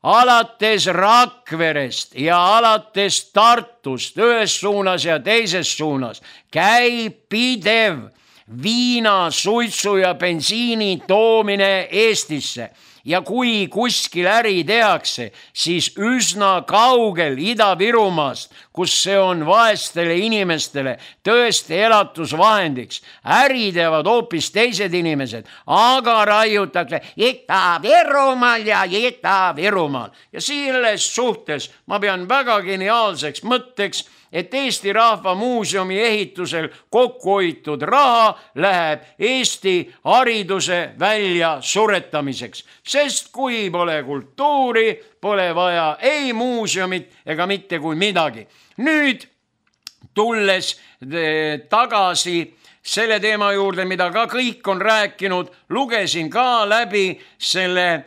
Alates Rakverest ja alates Tartust ühes suunas ja teises suunas käib pidev viina, suitsu ja bensiini toomine Eestisse. Ja kui kuskil äri tehakse, siis üsna kaugel Ida-Virumaast, kus see on vaestele inimestele tõesti elatusvahendiks. Äri teevad hoopis teised inimesed, aga raiutakse Ida-Virumaal ja Ida-Virumaal. Ja selles suhtes ma pean väga geniaalseks mõtteks, et Eesti Rahva Muuseumi ehitusel kokkuhoitud raha läheb Eesti hariduse välja suretamiseks. Sest kui pole kultuuri, pole vaja ei muuseumit ega mitte kui midagi. Nüüd tulles tagasi selle teema juurde, mida ka kõik on rääkinud, lugesin ka läbi selle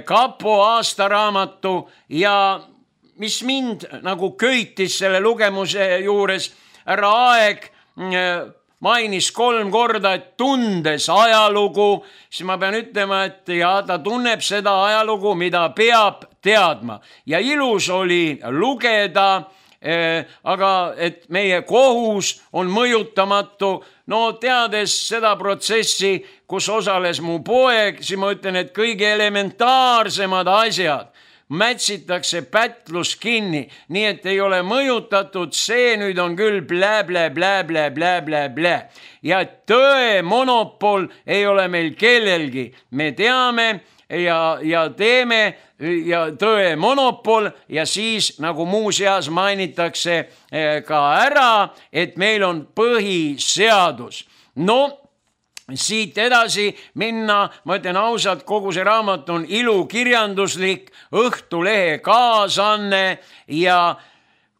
kapo aastaraamatu ja mis mind nagu köitis selle lugemuse juures, härra Aeg mainis 3 korda, et tundes ajalugu, siis ma pean ütlema, et ta tunneb seda ajalugu, mida peab teadma. Ja ilus oli lugeda, aga et meie kohus on mõjutamatu. No teades seda protsessi, kus osales mu poeg, siis ma ütlen, et kõige elementaarsemad asjad mätsitakse pätlus kinni, nii et ei ole mõjutatud, see nüüd on küll blä. Ja tõe monopol ei ole meil kellelgi. Me teame ja teeme ja tõe monopol ja siis nagu muuseas mainitakse ka ära, et meil on põhiseadus. No siit edasi minna, ma ütlen ausalt, kogu see raamat on ilukirjanduslik, Õhtulehe kaasanne ja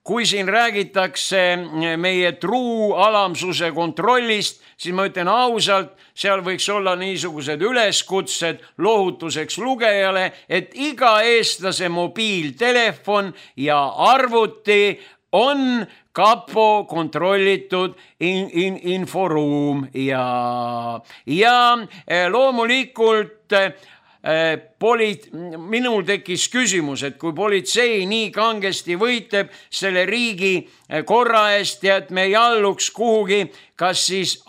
kui siin räägitakse meie truu alamsuse kontrollist, siis ma ütlen ausalt, seal võiks olla niisugused üleskutsed lohutuseks lugejale, et iga eestlase mobiiltelefon ja arvuti on kapo kontrollitud inforuum ja loomulikult minul tekkis küsimus, et kui politsei nii kangesti võitleb selle riigi korra eest ja et me ei alluks kuhugi, kas siis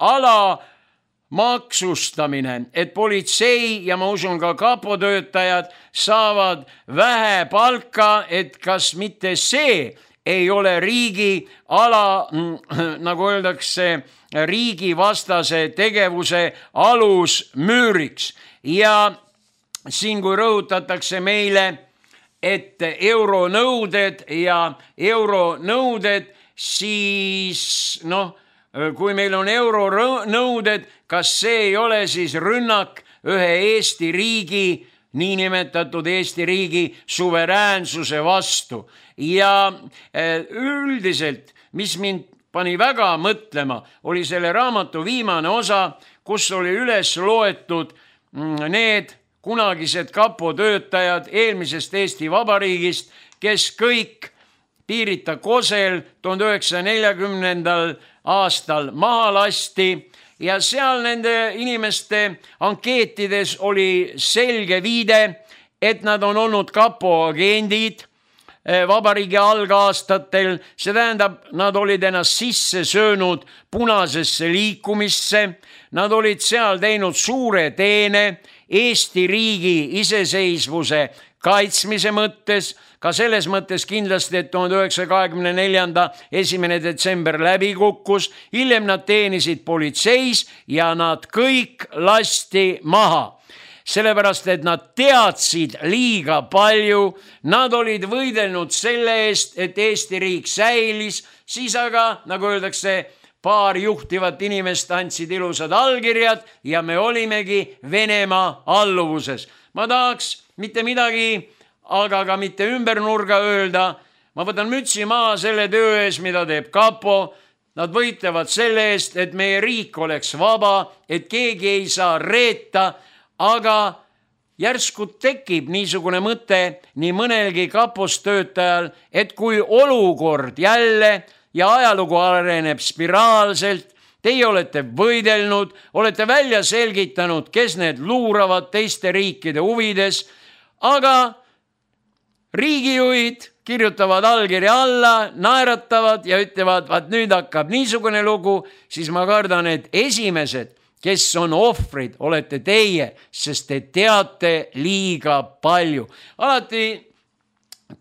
maksustamine, et politsei ja ma usun ka kapotöötajad saavad vähe palka, et kas mitte see ei ole riigi nagu öeldakse, riigivastase tegevuse alusmüüriks. Ja siin, kui rõhutatakse meile, et euronõuded, siis kui meil on euronõuded, kas see ei ole siis rünnak ühe Eesti riigi, niinimetatud Eesti riigi suveräänsuse vastu. Ja üldiselt, mis mind pani väga mõtlema, oli selle raamatu viimane osa, kus oli üles loetud need kunagised kapotöötajad eelmisest Eesti Vabariigist, kes kõik Piirita Kosel 1940. aastal maha lasti ja seal nende inimeste ankeetides oli selge viide, et nad on olnud kapo agendid vabariigi algaastatel, see tähendab, nad olid ennast sisse söönud punasesse liikumisse, nad olid seal teinud suure teene Eesti riigi iseseisvuse kaitsmise mõttes, ka selles mõttes kindlasti, et 1924. 1. detsember läbi kukkus, hiljem nad teenisid politseis ja nad kõik lasti maha. Sellepärast, et nad teadsid liiga palju, nad olid võidelnud selle eest, et Eesti riik säilis, siis aga, nagu öeldakse, paar juhtivat inimest andsid ilusad allkirjad ja me olimegi Venemaa alluvuses. Ma tahaks mitte midagi, aga ka mitte ümbernurga öelda, ma võtan mütsi maha selle töö ees, mida teeb kapo. Nad võitlevad selle eest, et meie riik oleks vaba, et keegi ei saa reeta, aga järsku tekib niisugune mõte nii mõnelgi kapostöötajal, et kui olukord jälle ja ajalugu areneb spiraalselt, teie olete võidelnud, olete välja selgitanud, kes need luuravad teiste riikide huvides, aga riigijuhid kirjutavad allkirja alla, naeratavad ja ütlevad, vaat nüüd hakkab niisugune lugu, siis ma kardan, et esimesed, kes on ohvrid, olete teie, sest te teate liiga palju. Alati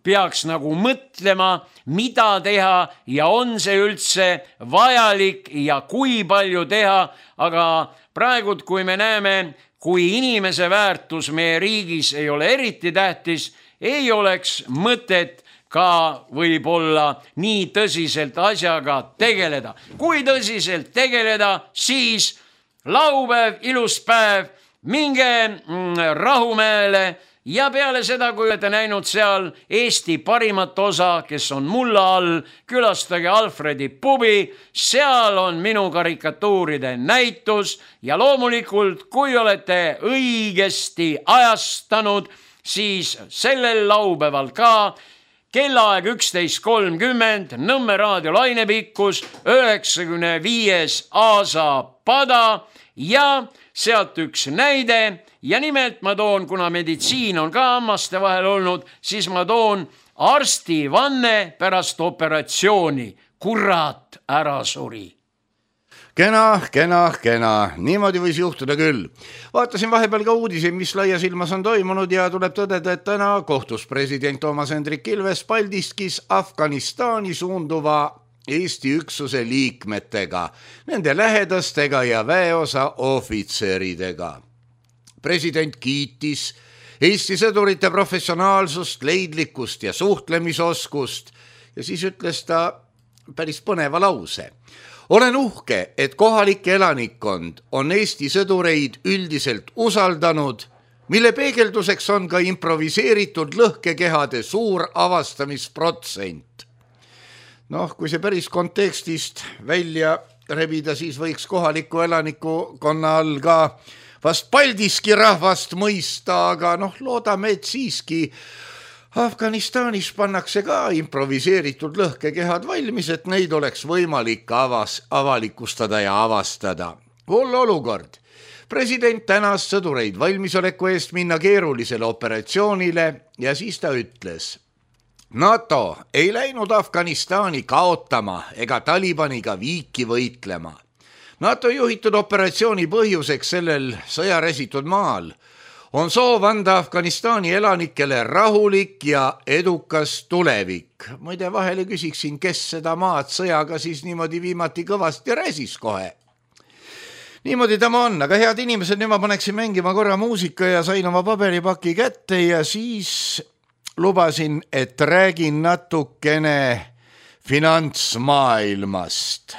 peaks nagu mõtlema, mida teha ja on see üldse vajalik ja kui palju teha, aga praegu, kui me näeme, kui inimese väärtus meie riigis ei ole eriti tähtis, ei oleks mõtet ka võib-olla nii tõsiselt asjaga tegeleda. Kui tõsiselt tegeleda, siis laupäev, ilus päev, minge Rahumäele ja peale seda, kui olete näinud seal Eesti parimat osa, kes on mulla all, külastage Alfredi pubi, seal on minu karikatuuride näitus ja loomulikult, kui olete õigesti ajastanud, siis sellel laupäeval ka kellaaeg 11.30, Nõmme raadio lainepikkus, 95. Aasapada ja sealt üks näide ja nimelt ma toon, kuna meditsiin on ka hammaste vahel olnud, siis ma toon arsti vanne pärast operatsiooni. Kurat, ära suri. Kena, niimoodi võis juhtuda küll. Vaatasin vahepeal ka uudiseid, mis laias ilmas on toimunud ja tuleb tõdeda, et täna kohtus president Toomas Hendrik Ilves Paldiskis Afganistani suunduva Eesti üksuse liikmetega, nende lähedastega ja väeosa ohvitseridega. President kiitis Eesti sõdurite professionaalsust, leidlikkust ja suhtlemisoskust ja siis ütles ta päris põneva lause. Olen uhke, et kohalik elanikkond on Eesti sõdureid üldiselt usaldanud, mille peegelduseks on ka improviseeritud lõhkekehade suur avastamisprotsent. Kui see päris kontekstist välja rebida, siis võiks kohaliku elanikkonna all ka vast Paldiski rahvast mõista, aga loodame, et siiski Afganistanis pannakse ka improviseeritud lõhkekehad valmis, et neid oleks võimalik avalikustada ja avastada. Hull olukord. President tänas sõdureid valmisoleku eest minna keerulisele operatsioonile ja siis ta ütles: NATO ei läinud Afganistani kaotama ega Talibaniga viiki võitlema. NATO juhitud operatsiooni põhjuseks sellel sõjaresitud maal on soov anda Afganistani elanikele rahulik ja edukas tulevik. Muide, vahele küsiksin, kes seda maad sõjaga siis niimoodi viimati kõvasti räsis kohe. Niimoodi tema on, aga head inimesed, nüüd ma paneksin mängima korra muusika ja sain oma paberipaki kätte ja siis lubasin, et räägin natukene finantsmaailmast.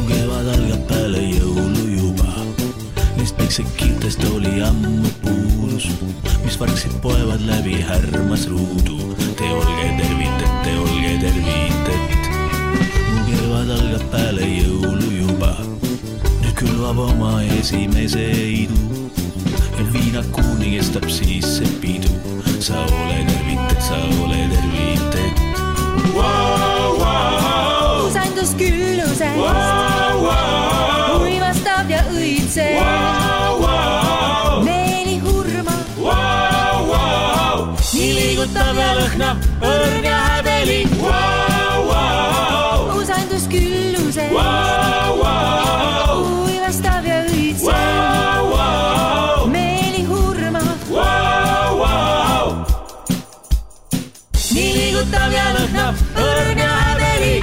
Kevad algab peale jõulu juba, neist päiksed kiirtest oli ammu puudus, mis vargsid poevad läbi härmas ruudu. Te olge tervitet. Mu kevad algab peale jõulu juba, nüüd külvab oma esimese idu ja viinakuuni kestab siis see pidu. Sa ole tervitet. Usandus küllusest, uimastab ja õitseb, meeli hurma, nii liigutab ja lõhnab õrn ja häbeli. Usandus küllusest, uimastab ja õitseb, meeli hurma, nii liigutab ja lõhnab õrn ja häbeli.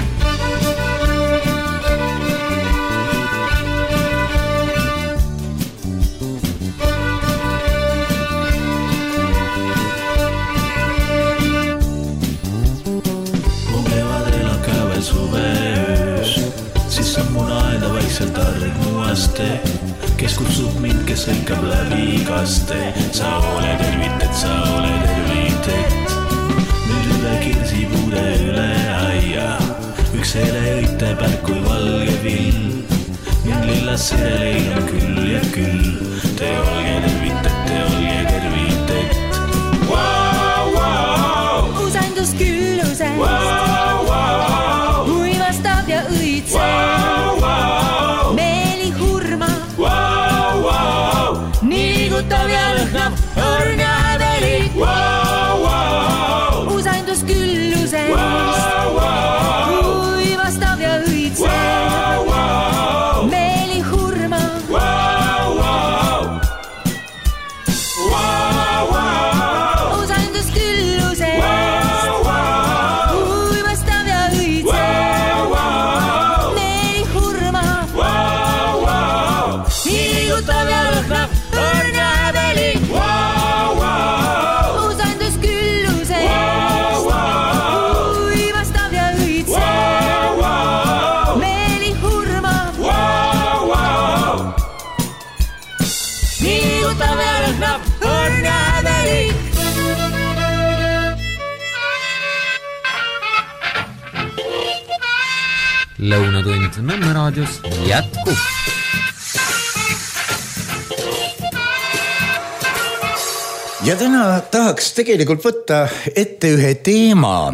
Kes kutsub mind, kes hõikab läbi kaste. Sa ole tervitet. Nüüd üle kirsipuude üle aia, üks hele õite pärk kui valge vill. Mind lillas sireleid on küll ja küll. Te olge tervitet. Usandus küllusest, uivastab ja õitseb, liigutab ja lõhnab õrn ja häbeli. Usandus küllusest, uivastab ja õitseb, meeli hurma, usandus küllusest, uivastab ja õitseb, meeli hurma, nii liigutab ja lõhnab õrn ja häbeli. Usandus küllusest, uivastab ja õitseb, meeli hurma, nii liigutab ja lõhnab õrn ja häbeli. Lõunatund Nõmme raadios jätkub. Ja täna tahaks tegelikult võtta ette ühe teema,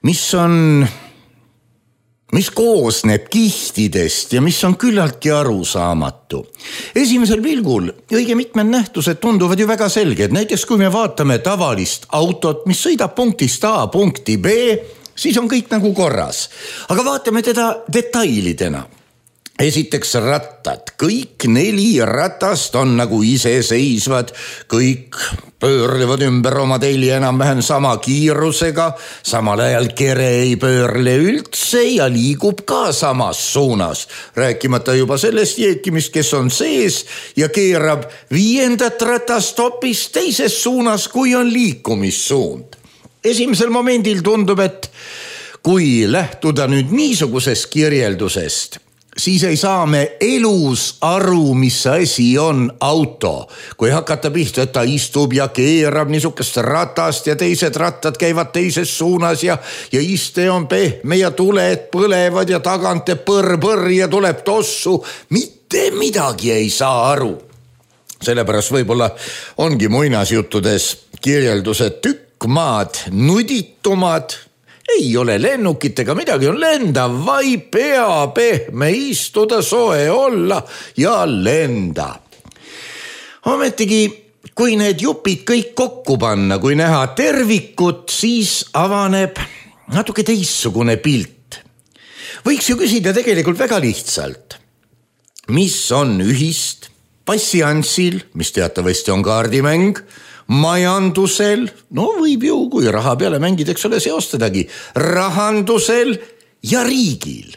mis koosneb kihtidest ja mis on küllaltki arusaamatu. Esimesel pilgul õige mitmed nähtused tunduvad ju väga selged. Näiteks kui me vaatame tavalist autot, mis sõidab punktist A punkti B, siis on kõik nagu korras. Aga vaatame teda detailidena. esiteks rattad, kõik 4 ratast on nagu iseseisvad, kõik pöörlevad ümber oma telje enam-vähem sama kiirusega, samal ajal kere ei pöörle üldse ja liigub ka samas suunas. Rääkimata juba sellest jeekimist, kes on sees ja keerab 5. ratast hoopis teises suunas, kui on liikumissuund. Esimesel momendil tundub, et kui lähtuda nüüd niisugusest kirjeldusest, siis ei saa me elus aru, mis asi on auto. Kui hakata pihta, et ta istub ja keerab niisugust ratast ja teised rattad käivad teises suunas ja iste on pehme ja tuled põlevad ja tagant põrr ja tuleb tossu. Mitte midagi ei saa aru. Sellepärast võib-olla ongi muinasjuttudes kirjeldused tükk maad nuditumad. Ei ole lennukit ega midagi, on lendav, vaid pea pehme, istuda, soe olla ja lenda. Ometigi, kui need jupid kõik kokku panna, kui näha tervikut, siis avaneb natuke teistsugune pilt. Võiks ju küsida tegelikult väga lihtsalt. Mis on ühist passiansil, mis teatavasti on kaardimäng, majandusel, no võib ju, kui raha peale mängid, eks ole, seostadagi, rahandusel ja riigil.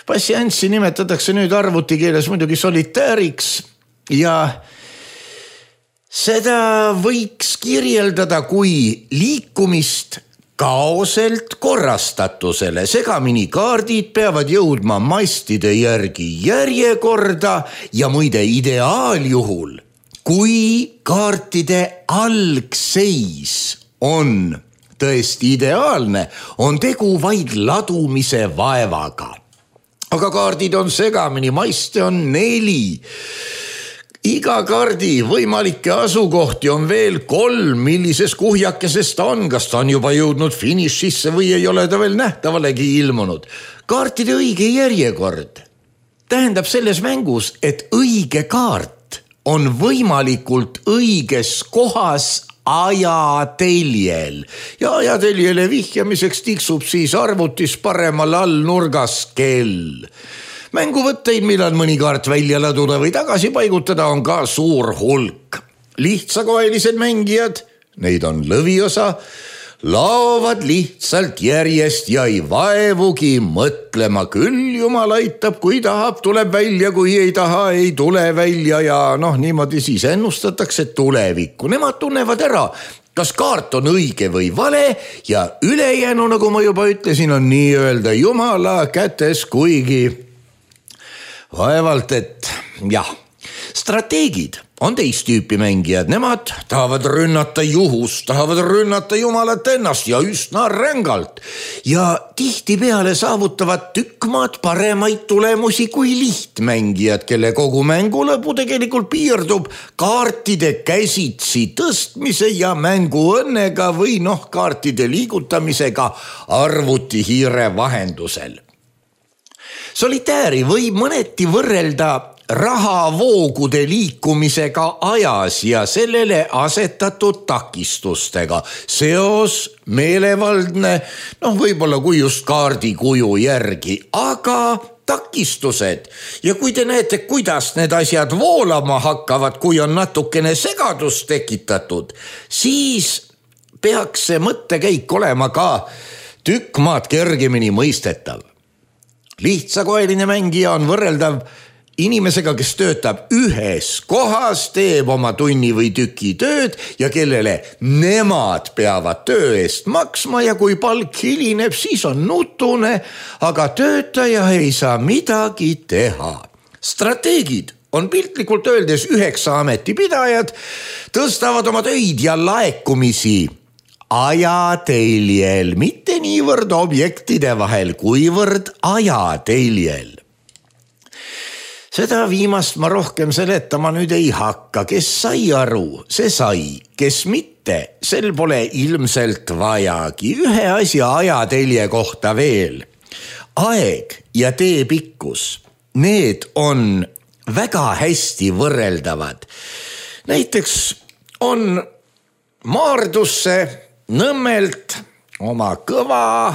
Passianssi nimetatakse nüüd arvutikeeles muidugi solitääriks ja seda võiks kirjeldada kui liikumist kaoselt korrastatusele. Segamini kaardid peavad jõudma mastide järgi järjekorda ja muide ideaaljuhul, kui kaartide algseis on tõesti ideaalne, on tegu vaid ladumise vaevaga. Aga kaardid on segamini, maiste on 4. Iga kaardi võimalikke asukohti on veel 3, millises kuhjakeses ta on, kas ta on juba jõudnud finišisse või ei ole ta veel nähtavalegi ilmunud. Kaartide õige järjekord tähendab selles mängus, et õige kaart on võimalikult õiges kohas ajateljel ja ajateljele vihjamiseks tiksub siis arvutis paremal all nurgas kell. Mänguvõtteid, millal mõni kaart välja laduda või tagasi paigutada, on ka suur hulk. Lihtsakoelised mängijad, neid on lõviosa, laovad lihtsalt järjest ja ei vaevugi mõtlema. Küll jumal aitab, kui tahab, tuleb välja, kui ei taha, ei tule välja ja niimoodi siis ennustatakse tulevikku. Nemad tunnevad ära, kas kaart on õige või vale ja ülejäänu, nagu ma juba ütlesin, on nii-öelda jumala kätes, kuigi vaevalt, et jah. Strateegid on teist tüüpi mängijad, nemad tahavad rünnata juhust, tahavad rünnata jumalat ennast ja üsna rängalt ja tihtipeale saavutavad tükk maad paremaid tulemusi kui lihtmängijad, kelle kogu mängu lõpu tegelikult piirdub kaartide käsitsi tõstmise ja mänguõnnega või kaartide liigutamisega arvutihiire vahendusel. Solitääri võib mõneti võrrelda rahavoogude liikumisega ajas ja sellele asetatud takistustega. Seos meelevaldne, võib-olla kui just kaardi kuju järgi, aga takistused. Ja kui te näete, kuidas need asjad voolama hakkavad, kui on natukene segadust tekitatud, siis peaks see mõttekäik olema ka tükk maad kergemini mõistetav. Lihtsakoeline mängija on võrreldav inimesega, kes töötab ühes kohas, teeb oma tunni või tüki tööd ja kellele nemad peavad töö eest maksma ja kui palk hilineb, siis on nutune, aga töötaja ei saa midagi teha. Strateegid on piltlikult öeldes 9 ametipidajad, tõstavad oma töid ja laekumisi ajateljel, mitte niivõrd objektide vahel, kuivõrd ajateljel. Seda viimast ma rohkem seletama nüüd ei hakka, kes sai aru, see sai, kes mitte, sel pole ilmselt vajagi. Ühe asja ajatelje kohta veel. Aeg ja tee pikkus, need on väga hästi võrreldavad. Näiteks on Maardusse Nõmmelt oma kõva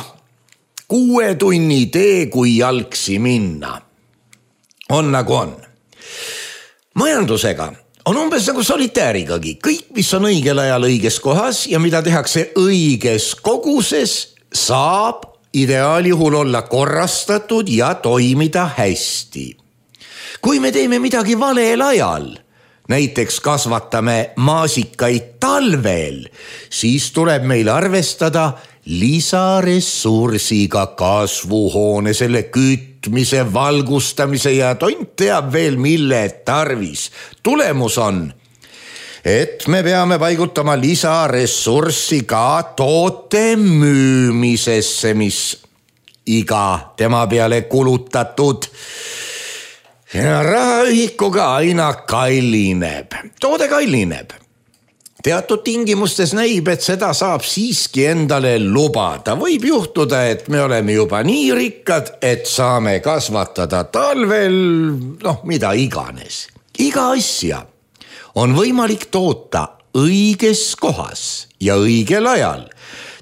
6 tunni tee, kui jalgsi minna. on nagu on. Majandusega on umbes nagu solitaarigagi. Kõik, mis on õigel ajal õiges kohas ja mida tehakse õiges koguses, saab ideaaljuhul olla korrastatud ja toimida hästi. Kui me teeme midagi valel ajal, näiteks kasvatame maasikaid talvel, siis tuleb meil arvestada lisaressursiga kasvuhoone, selle kütmise, valgustamise ja tont teab veel mille tarvis. Tulemus on, et me peame paigutama lisaressurssi ka toote müümisesse, mis iga tema peale kulutatud ja rahaühikuga aina kallineb. Toode kallineb. Teatud tingimustes näib, et seda saab siiski endale lubada. Võib juhtuda, et me oleme juba nii rikkad, et saame kasvatada talvel, mida iganes. Iga asja on võimalik toota õiges kohas ja õigel ajal.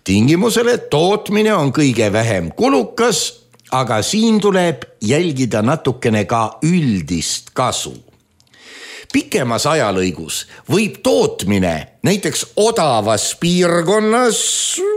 Tingimusel, et tootmine on kõige vähem kulukas, aga siin tuleb jälgida natukene ka üldist kasu. Pikemas ajalõigus võib tootmine näiteks odavas piirkonnas,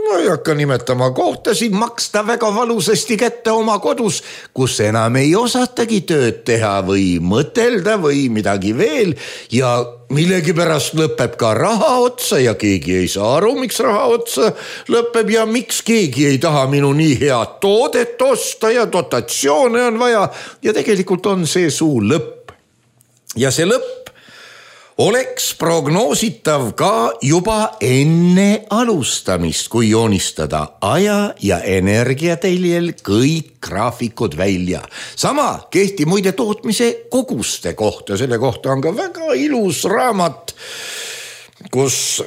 ma ei hakka nimetama kohtasid, maksta väga valusasti kätte oma kodus, kus enam ei osatagi tööd teha või mõtelda või midagi veel ja millegipärast lõpeb ka raha otsa ja keegi ei saa aru, miks raha otsa lõpeb ja miks keegi ei taha minu nii head toodet osta ja dotatsioone on vaja ja tegelikult on see suu lõpp. Ja see lõpp oleks prognoositav ka juba enne alustamist, kui joonistada aja ja energiateljel kõik graafikud välja. Sama kehti muide tootmise koguste kohta. Selle kohta on ka väga ilus raamat, kus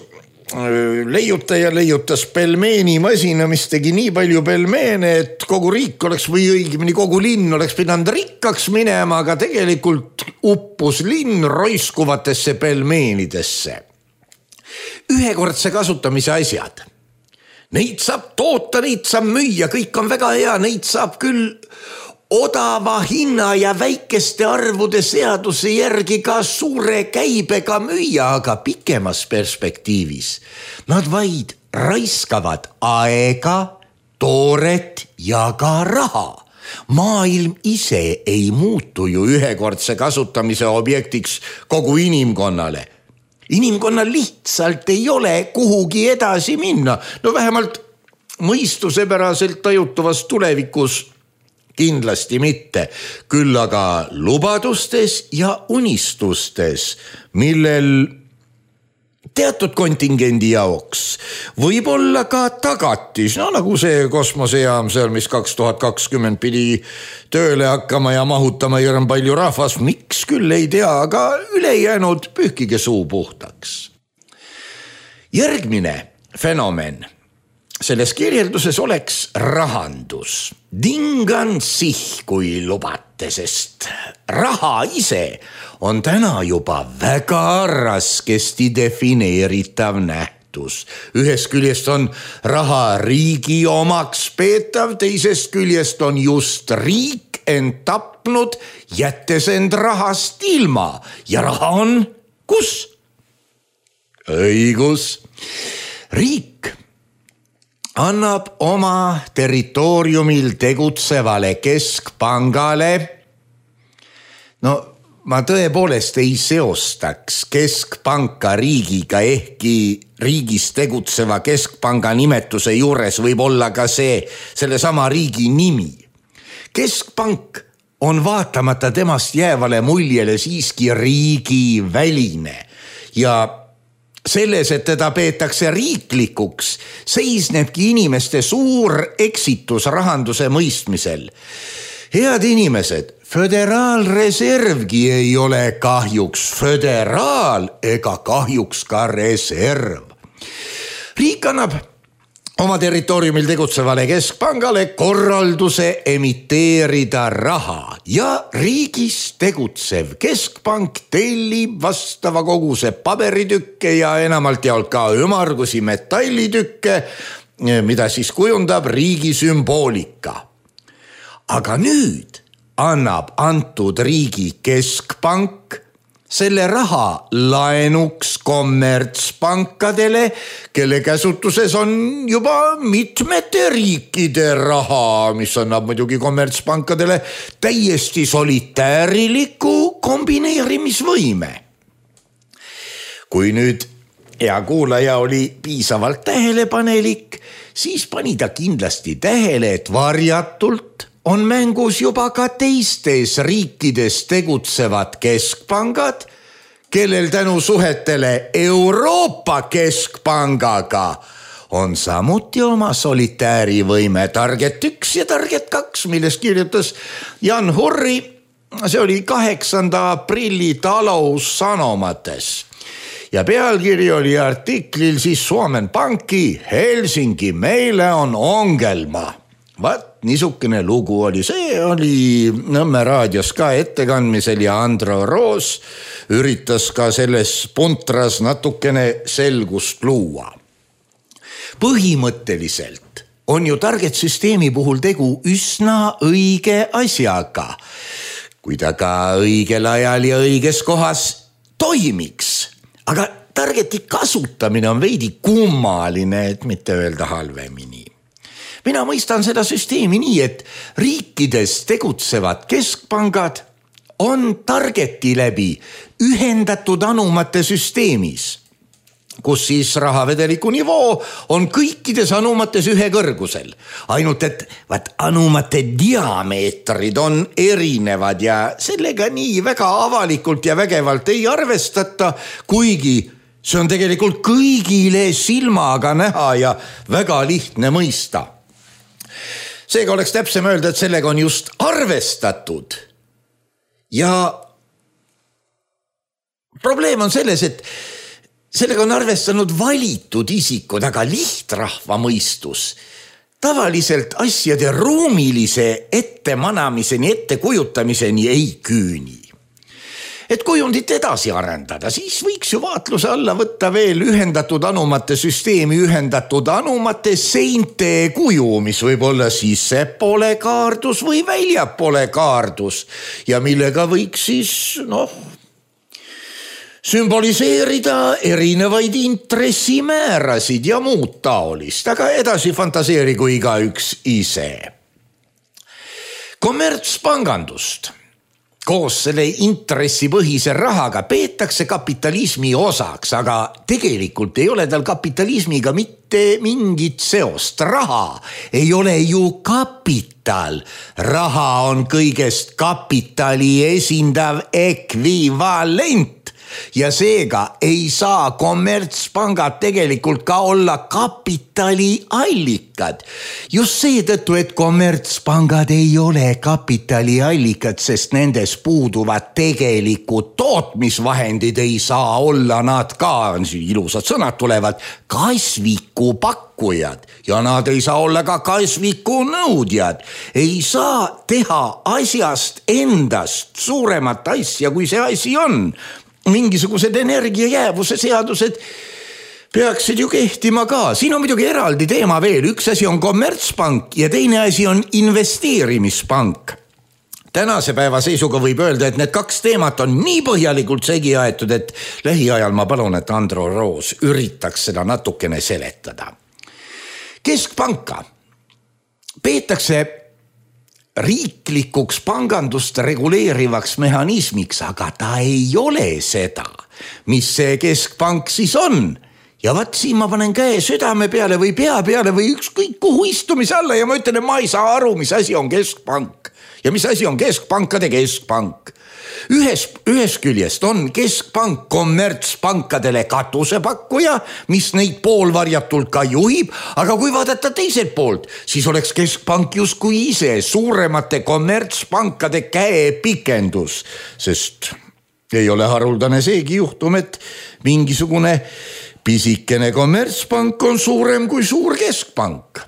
leiutaja leiutas pelmeenimasina, mis tegi nii palju pelmeene, et kogu riik oleks või õigemini kogu linn oleks pidanud rikkaks minema, aga tegelikult uppus linn roiskuvatesse pelmeenidesse. Ühekordse kasutamise asjad. Neid saab toota, neid saab müüa, kõik on väga hea, neid saab küll odava hinna ja väikeste arvude seaduse järgi ka suure käibega müüa, aga pikemas perspektiivis nad vaid raiskavad aega, tooret ja ka raha. Maailm ise ei muutu ju ühekordse kasutamise objektiks kogu inimkonnale. Inimkonnal lihtsalt ei ole kuhugi edasi minna. Vähemalt mõistusepäraselt tajutavas tulevikus kindlasti mitte, küll aga lubadustes ja unistustes, millel teatud kontingendi jaoks võib olla ka tagatis, nagu see kosmosejaam seal, mis 2020 pidi tööle hakkama ja mahutama hirm palju rahvast, miks küll ei tea, aga ülejäänud pühkige suu puhtaks. Järgmine fenomen selles kirjelduses oleks rahandus. Dingan sih, kui lubate, sest raha ise on täna juba väga raskesti defineeritav nähtus. Ühest küljest on raha riigi omaks peetav, teisest küljest on just riik end tapnud, jättes end rahast ilma. Ja raha on kus? Õigus. Riik annab oma territooriumil tegutsevale keskpangale, ma tõepoolest ei seostaks keskpanka riigiga, ehkki riigis tegutseva keskpanga nimetuse juures võib olla ka sellesama riigi nimi. Keskpank on vaatamata temast jäävale muljele siiski riigiväline ja selles, et teda peetakse riiklikuks, seisnebki inimeste suur eksitus rahanduse mõistmisel. Head inimesed, föderaalreservgi ei ole kahjuks föderaal ega kahjuks ka reserv. Riik annab oma territooriumil tegutsevale keskpangale korralduse emiteerida raha ja riigis tegutsev keskpank tellib vastava koguse paberitükke ja enamalt jaolt ka ümargusi metallitükke, mida siis kujundab riigi sümboolika. Aga nüüd annab antud riigi keskpank selle raha laenuks kommertspankadele, kelle käsutuses on juba mitmete riikide raha, mis annab muidugi kommertspankadele täiesti solitääriliku kombineerimisvõime. Kui nüüd hea kuulaja oli piisavalt tähelepanelik, siis pani ta kindlasti tähele, et varjatult on mängus juba ka teistes riikides tegutsevad keskpangad, kellel tänu suhetele Euroopa keskpangaga on samuti oma solitäärivõime Target 1 ja Target 2, millest kirjutas Jan Hurri. See oli 8. aprilli taloussanomates. Ja pealkiri oli artiklil siis Suomen Pankki Helsinki meile on ongelma. Vaat niisugune lugu oli, see oli Nõmme raadios ka ettekandmisel ja Andro Roos üritas ka selles puntras natukene selgust luua. Põhimõtteliselt on ju Target süsteemi puhul tegu üsna õige asjaga, kui ta ka õigel ajal ja õiges kohas toimiks. Aga Targeti kasutamine on veidi kummaline, et mitte öelda halvemini. Mina mõistan seda süsteemi nii, et riikides tegutsevad keskpangad on Targeti läbi ühendatud anumate süsteemis, kus siis rahavedeliku nivoo on kõikides anumates ühe kõrgusel. Ainult, et anumate diameetrid on erinevad ja sellega nii väga avalikult ja vägevalt ei arvestata, kuigi see on tegelikult kõigile silmaga näha ja väga lihtne mõista. Seega oleks täpsem öelda, et sellega on just arvestatud. Ja probleem on selles, et sellega on arvestanud valitud isikud, aga lihtrahva mõistus tavaliselt asjade ruumilise ettemanamiseni, ettekujutamiseni ei küüni. Et kujundit edasi arendada, siis võiks ju vaatluse alla võtta veel ühendatud anumate süsteemi ühendatud anumate seinte kuju, mis võib olla sissepoole kaardus või väljapoole kaardus ja millega võiks siis, sümboliseerida erinevaid intressimäärasid ja muud taolist, aga edasi fantaseerigu igaüks ise. Kommertspangandust koos selle intressipõhise rahaga peetakse kapitalismi osaks, aga tegelikult ei ole tal kapitalismiga mitte mingit seost. Raha ei ole ju kapital. Raha on kõigest kapitali esindav ekvivalent. Ja seega ei saa kommertspangad tegelikult ka olla kapitali allikad. Just seetõttu, et kommertspangad ei ole kapitali allikad, sest nendes puuduvad tegelikud tootmisvahendid, ei saa olla nad ka, ilusad sõnad tulevad, kasviku pakkujad ja nad ei saa olla ka kasviku nõudjad. Ei saa teha asjast endast suuremat asja, kui see asi on. Mingisugused energiajäävuse seadused peaksid ju kehtima ka. Siin on muidugi eraldi teema veel. Üks asi on kommertspank ja teine asi on investeerimispank. Tänase päeva seisuga võib öelda, et need kaks teemat on nii põhjalikult segi aetud, et lähiajal ma palun, et Andro Roos üritaks seda natukene seletada. Keskpanka peetakse riiklikuks pangandust reguleerivaks mehhanismiks, aga ta ei ole seda, mis see keskpank siis on. Ja vaat siin ma panen käe südame peale või pea peale või ükskõik kuhu istumise alla ja ma ütlen, et ma ei saa aru, mis asi on keskpank ja mis asi on keskpankade keskpank. Ühes küljest on keskpank kommertspankadele katusepakkuja, mis neid poolvarjatult ka juhib, aga kui vaadata teiselt poolt, siis oleks keskpank justkui ise suuremate kommertspankade käepikendus, sest ei ole haruldane seegi juhtum, et mingisugune pisikene kommertspank on suurem kui suur keskpank.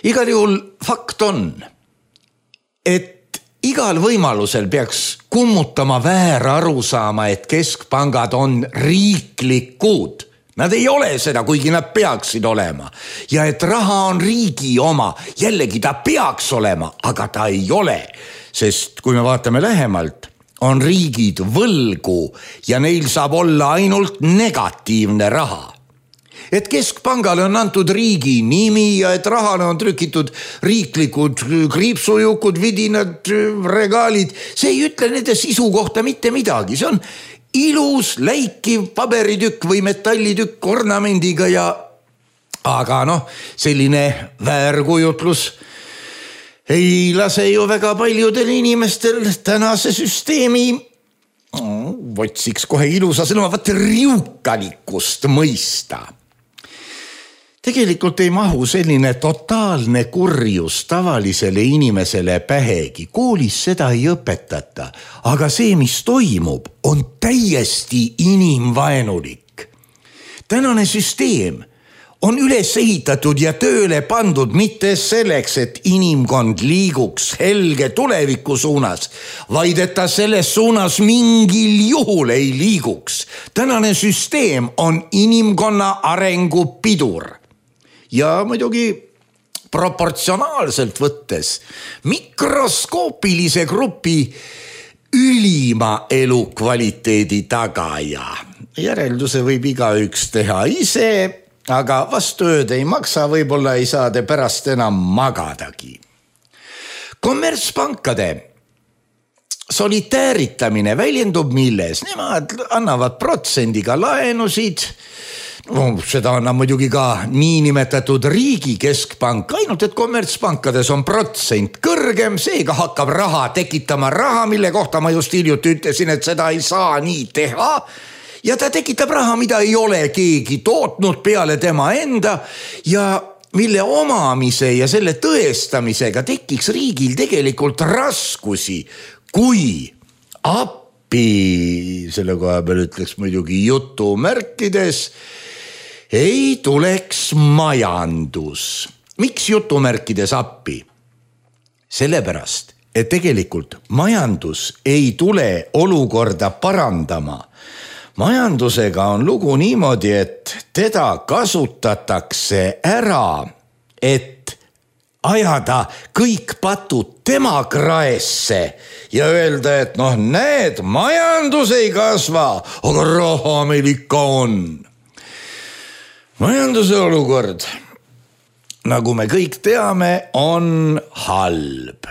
Igal juhul fakt on, et igal võimalusel peaks kummutama vääraru saama, et keskpangad on riiklikud. Nad ei ole seda, kuigi nad peaksid olema. Ja et raha on riigi oma, jällegi ta peaks olema, aga ta ei ole. sest kui me vaatame lähemalt, on riigid võlgu ja neil saab olla ainult negatiivne raha. Et keskpangale on antud riigi nimi ja et rahale on trükitud riiklikud kriipsujukud, vidinad, regaalid, see ei ütle nende sisu kohta mitte midagi. See on ilus, läikiv paberitükk või metallitükk ornamendiga aga selline väärkujutlus ei lase ju väga paljudel inimestel tänase süsteemi otsiks kohe ilusa sõnuma, riukalikkust mõista. Tegelikult ei mahu selline totaalne kurjus tavalisele inimesele pähegi. Koolis seda ei õpetata, aga see, mis toimub, on täiesti inimvaenulik. Tänane süsteem on üles ehitatud ja tööle pandud mitte selleks, et inimkond liiguks helge tuleviku suunas, vaid et ta selles suunas mingil juhul ei liiguks. Tänane süsteem on inimkonna arengu pidur. Ja muidugi proportsionaalselt võttes mikroskoopilise grupi ülima elukvaliteedi tagaja. Järelduse võib igaüks teha ise, aga vastu ööd ei maksa, võib-olla ei saa te pärast enam magadagi. Kommertspankade solitääritamine väljendub milles? Nemad annavad protsendiga laenusid. Seda annab muidugi ka niinimetatud riigi keskpank, ainult et kommertspankades on protsent kõrgem, seega hakkab raha tekitama raha, mille kohta ma just hiljuti ütlesin, et seda ei saa nii teha. Ja ta tekitab raha, mida ei ole keegi tootnud peale tema enda ja mille omamise ja selle tõestamisega tekiks riigil tegelikult raskusi, kui appi, selle koha peal ütleks muidugi jutumärkides, ei tuleks majandus. Miks jutumärkides appi? Sellepärast, et tegelikult majandus ei tule olukorda parandama. Majandusega on lugu niimoodi, et teda kasutatakse ära, et ajada kõik patud tema kraesse ja öelda, et näed, majandus ei kasva, aga raha meil ikka on. Majanduse olukord, nagu me kõik teame, on halb.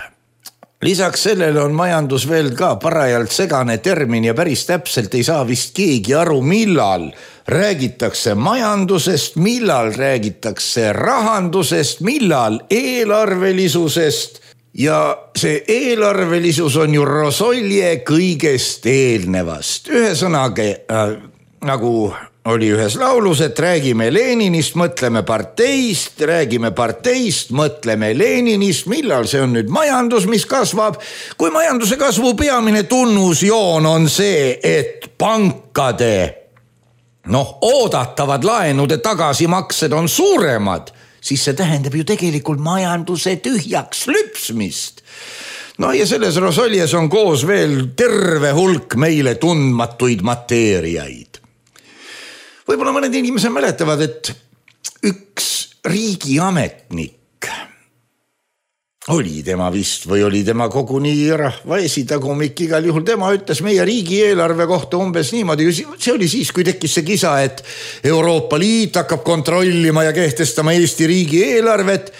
Lisaks sellele on majandus veel ka parajalt segane termin ja päris täpselt ei saa vist keegi aru, millal räägitakse majandusest, millal räägitakse rahandusest, millal eelarvelisusest. Ja see eelarvelisus on ju rosolje kõigest eelnevast. Ühesõnaga, nagu oli ühes laulus, et räägime Leninist, mõtleme parteist, räägime parteist, mõtleme Leninist, millal see on nüüd majandus, mis kasvab. Kui majanduse kasvu peamine tunnusjoon on see, et pankade oodatavad laenude tagasimaksed on suuremad, siis see tähendab ju tegelikult majanduse tühjaks lüpsmist. Ja selles rosoljes on koos veel terve hulk meile tundmatuid mateeriaid. Võib-olla mõned inimesed mäletavad, et üks riigiametnik oli tema vist või oli tema koguni rahva esitagumik, igal juhul tema ütles meie riigieelarve kohta umbes niimoodi, see oli siis, kui tekkis see kisa, et Euroopa Liit hakkab kontrollima ja kehtestama Eesti riigieelarvet.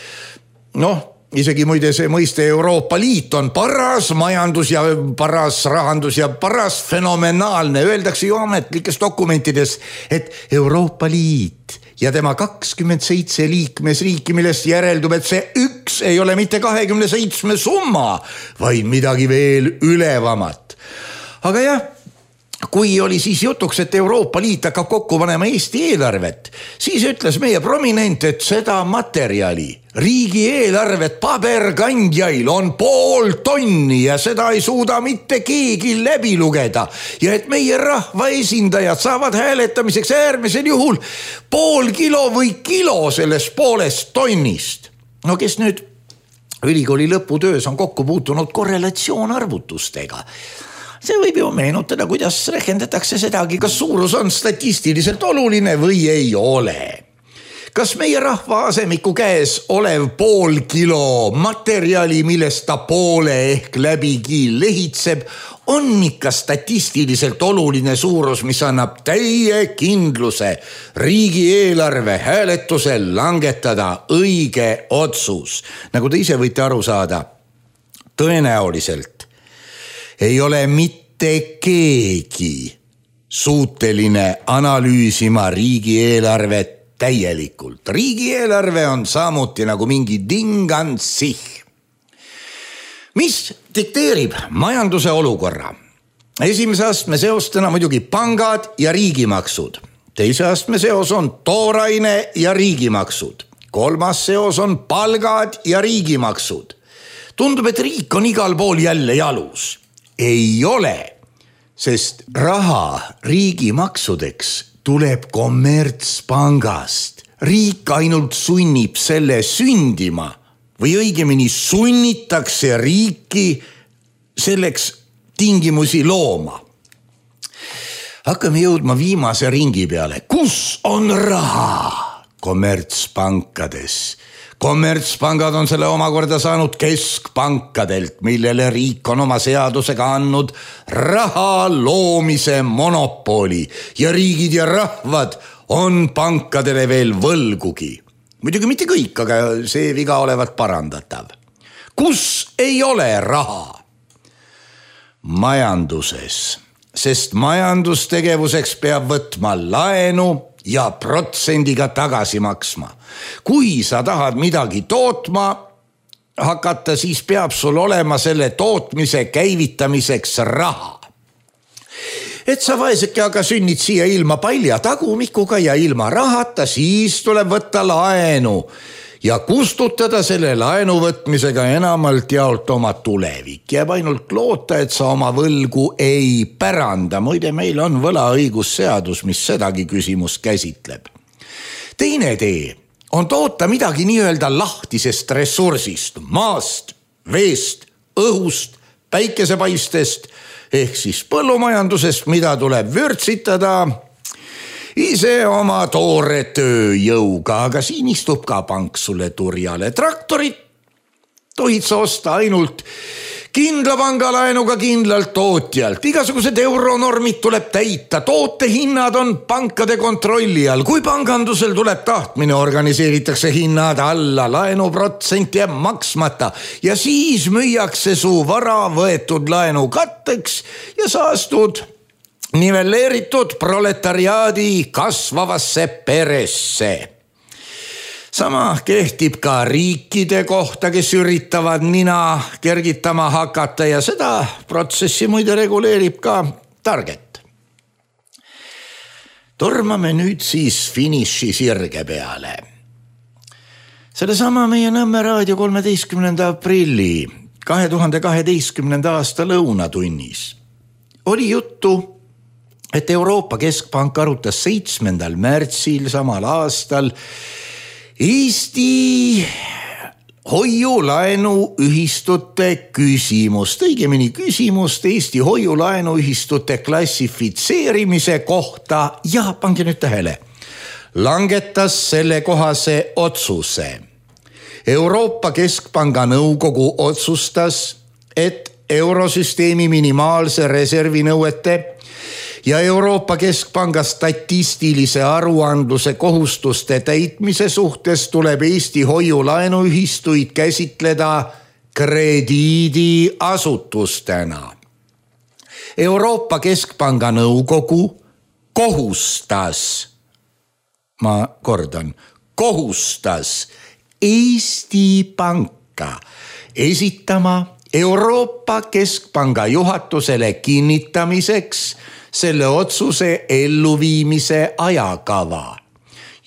Isegi muide see mõiste Euroopa Liit on paras majandus ja paras rahandus ja paras fenomenaalne. Öeldakse ju ametlikes dokumentides, et Euroopa Liit ja tema 27 liikmesriiki, millest järeldub, et see üks ei ole mitte 27 summa, vaid midagi veel ülevamat. Aga jah, kui oli siis jutuks, et Euroopa Liit hakkab kokku panema Eesti eelarvet, siis ütles meie prominent, et seda materjali, riigieelarvet paberkandjail on 0,5 tonni ja seda ei suuda mitte keegi läbi lugeda ja et meie rahvaesindajad saavad hääletamiseks äärmisel juhul 0,5 kilo või kilo sellest 0,5 tonnist. Kes nüüd ülikooli lõputöös on kokku puutunud korrelatsioonarvutustega, see võib ju meenutada, kuidas rehkendatakse sedagi, kas suurus on statistiliselt oluline või ei ole. Kas meie rahva asemiku käes olev pool kilo materjali, millest ta poole ehk läbigi lehitseb, on ikka statistiliselt oluline suurus, mis annab täie kindluse riigieelarve hääletusel langetada õige otsus. Nagu te ise võite aru saada, tõenäoliselt ei ole mitte keegi suuteline analüüsima riigieelarvet täielikult. Riigieelarve on samuti nagu mingi dingansih, mis dikteerib majanduse olukorra. Esimese astme seostena muidugi pangad ja riigimaksud. Teise astme seos on tooraine ja riigimaksud. Kolmas seos on palgad ja riigimaksud. Tundub, et riik on igal pool jälle jalus. Ei ole, sest raha riigimaksudeks tuleb kommertspangast. Riik ainult sunnib selle sündima või õigemini sunnitakse riiki selleks tingimusi looma. Hakkame jõudma viimase ringi peale. Kus on raha? Kommertspankades. Kommertspangad on selle omakorda saanud keskpankadelt, millele riik on oma seadusega andnud raha loomise monopoli ja riigid ja rahvad on pankadele veel võlgugi. Muidugi mitte kõik, aga see viga olevat parandatav. Kus ei ole raha? Majanduses, sest majandustegevuseks peab võtma laenu ja protsendiga tagasi maksma. Kui sa tahad midagi tootma hakata, siis peab sul olema selle tootmise käivitamiseks raha. Et sa vaeseke aga sünnid siia ilma palja tagumikuga ja ilma rahata, siis tuleb võtta laenu ja kustutada selle laenu võtmisega enamalt jaolt oma tulevik. Jääb ainult loota, et sa oma võlgu ei päranda. Muide, meil on võlaõigusseadus, mis sedagi küsimust käsitleb. Teine tee on toota midagi nii-öelda lahtisest ressursist, maast, veest, õhust, päikesepaistest ehk siis põllumajandusest, mida tuleb vürtsitada ise oma toore tööjõuga, aga siin istub ka pank sulle turjale. Traktorit tohid sa osta ainult kindla pangalaenuga kindlalt tootjalt. Igasugused euronormid tuleb täita. Tootehinnad on pankade kontrolli all. Kui pangandusel tuleb tahtmine, organiseeritakse hinnad alla, laenuprotsent jääb maksmata ja siis müüakse su vara võetud laenu katteks ja saastud nivelleeritud proletariaadi kasvavasse peresse. Sama kehtib ka riikide kohta, kes üritavad nina kergitama hakata ja seda protsessi muide reguleerib ka Target. Tormame nüüd siis finiši sirge peale. Sellesama meie Nõmme raadio 13. aprilli 2012. aasta lõunatunnis oli juttu, et Euroopa Keskpank arutas 7. märtsil samal aastal Eesti hoiulaenuühistute küsimust, õigemini küsimust Eesti hoiulaenuühistute klassifitseerimise kohta ja pange nüüd tähele, langetas selle kohase otsuse. Euroopa Keskpanga nõukogu otsustas, et eurosüsteemi minimaalse reservi nõuete ja Euroopa Keskpanga statistilise aruandluse kohustuste täitmise suhtes tuleb Eesti hoiulaenuühistuid käsitleda krediidiasutustena. Euroopa Keskpanga nõukogu kohustas, ma kordan, kohustas Eesti Panka esitama Euroopa Keskpanga juhatusele kinnitamiseks selle otsuse elluviimise ajakava.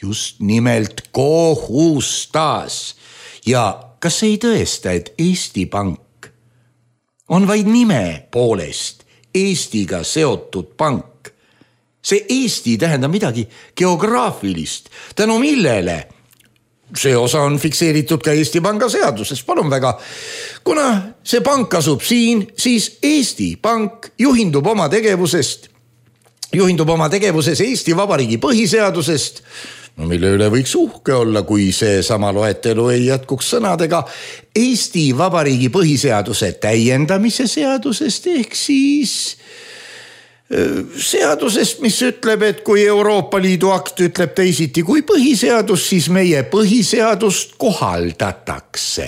Just nimelt kohustas. Ja kas ei tõesta, et Eesti Pank on vaid nime poolest Eestiga seotud pank? See Eesti tähendab midagi geograafilist, tänu millele see osa on fikseeritud ka Eesti Panga seaduses. Palun väga, kuna see pank asub siin, siis Eesti Pank juhindub oma tegevusest juhindub oma tegevuses Eesti Vabariigi põhiseadusest, mille üle võiks uhke olla, kui see sama loetelu ei jätkuks sõnadega Eesti Vabariigi põhiseaduse täiendamise seadusest ehk siis seadusest, mis ütleb, et kui Euroopa Liidu akt ütleb teisiti kui põhiseadus, siis meie põhiseadust kohaldatakse.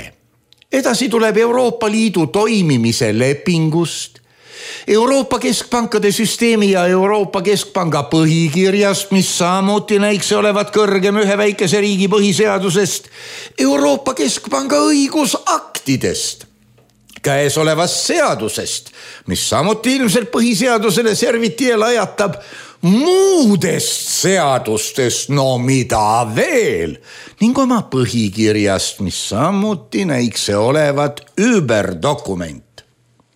Edasi tuleb Euroopa Liidu toimimise lepingust, Euroopa Keskpankade süsteemi ja Euroopa Keskpanga põhikirjast, mis samuti näiks olevat kõrgem ühe väikese riigi põhiseadusest, Euroopa Keskpanga õigusaktidest, käesolevast seadusest, mis samuti ilmselt põhiseadusele serviti ja lajatab, muudest seadustest, no mida veel, ning oma põhikirjast, mis samuti näiks olevat überdokument.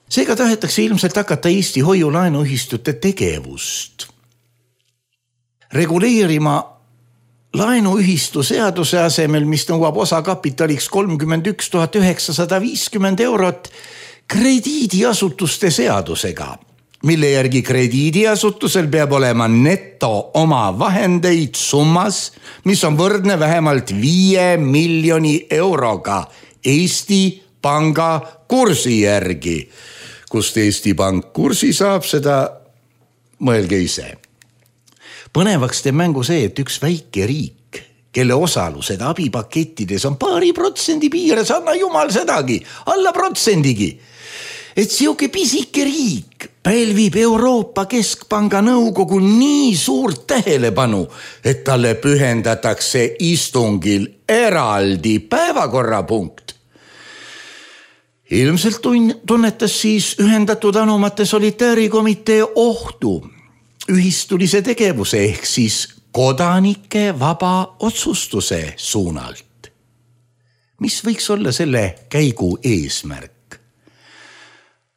Seega tahetakse ilmselt hakata Eesti hoiulaenuühistute tegevust reguleerima laenuühistu seaduse asemel, mis nõuab osakapitaliks 31 950 eurot, krediidiasutuste seadusega, mille järgi krediidiasutusel peab olema neto oma vahendeid summas, mis on võrdne vähemalt 5 miljoni euroga Eesti Panga kursi järgi. Kust Eesti Pank kursi saab, seda mõelge ise. Põnevaks teeb mängu see, et üks väike riik, kelle osalused abipakettides on 2% piires, anna jumal sedagi, alla protsendigi. Et siuke pisike riik pälvib Euroopa Keskpanga nõukogu nii suurt tähelepanu, et talle pühendatakse istungil eraldi päevakorrapunkt. Ilmselt tunnetas siis Ühendatud Anumate Solitäärikomitee ohtu ühistulise tegevuse ehk siis kodanike vaba otsustuse suunalt. Mis võiks olla selle käigu eesmärk?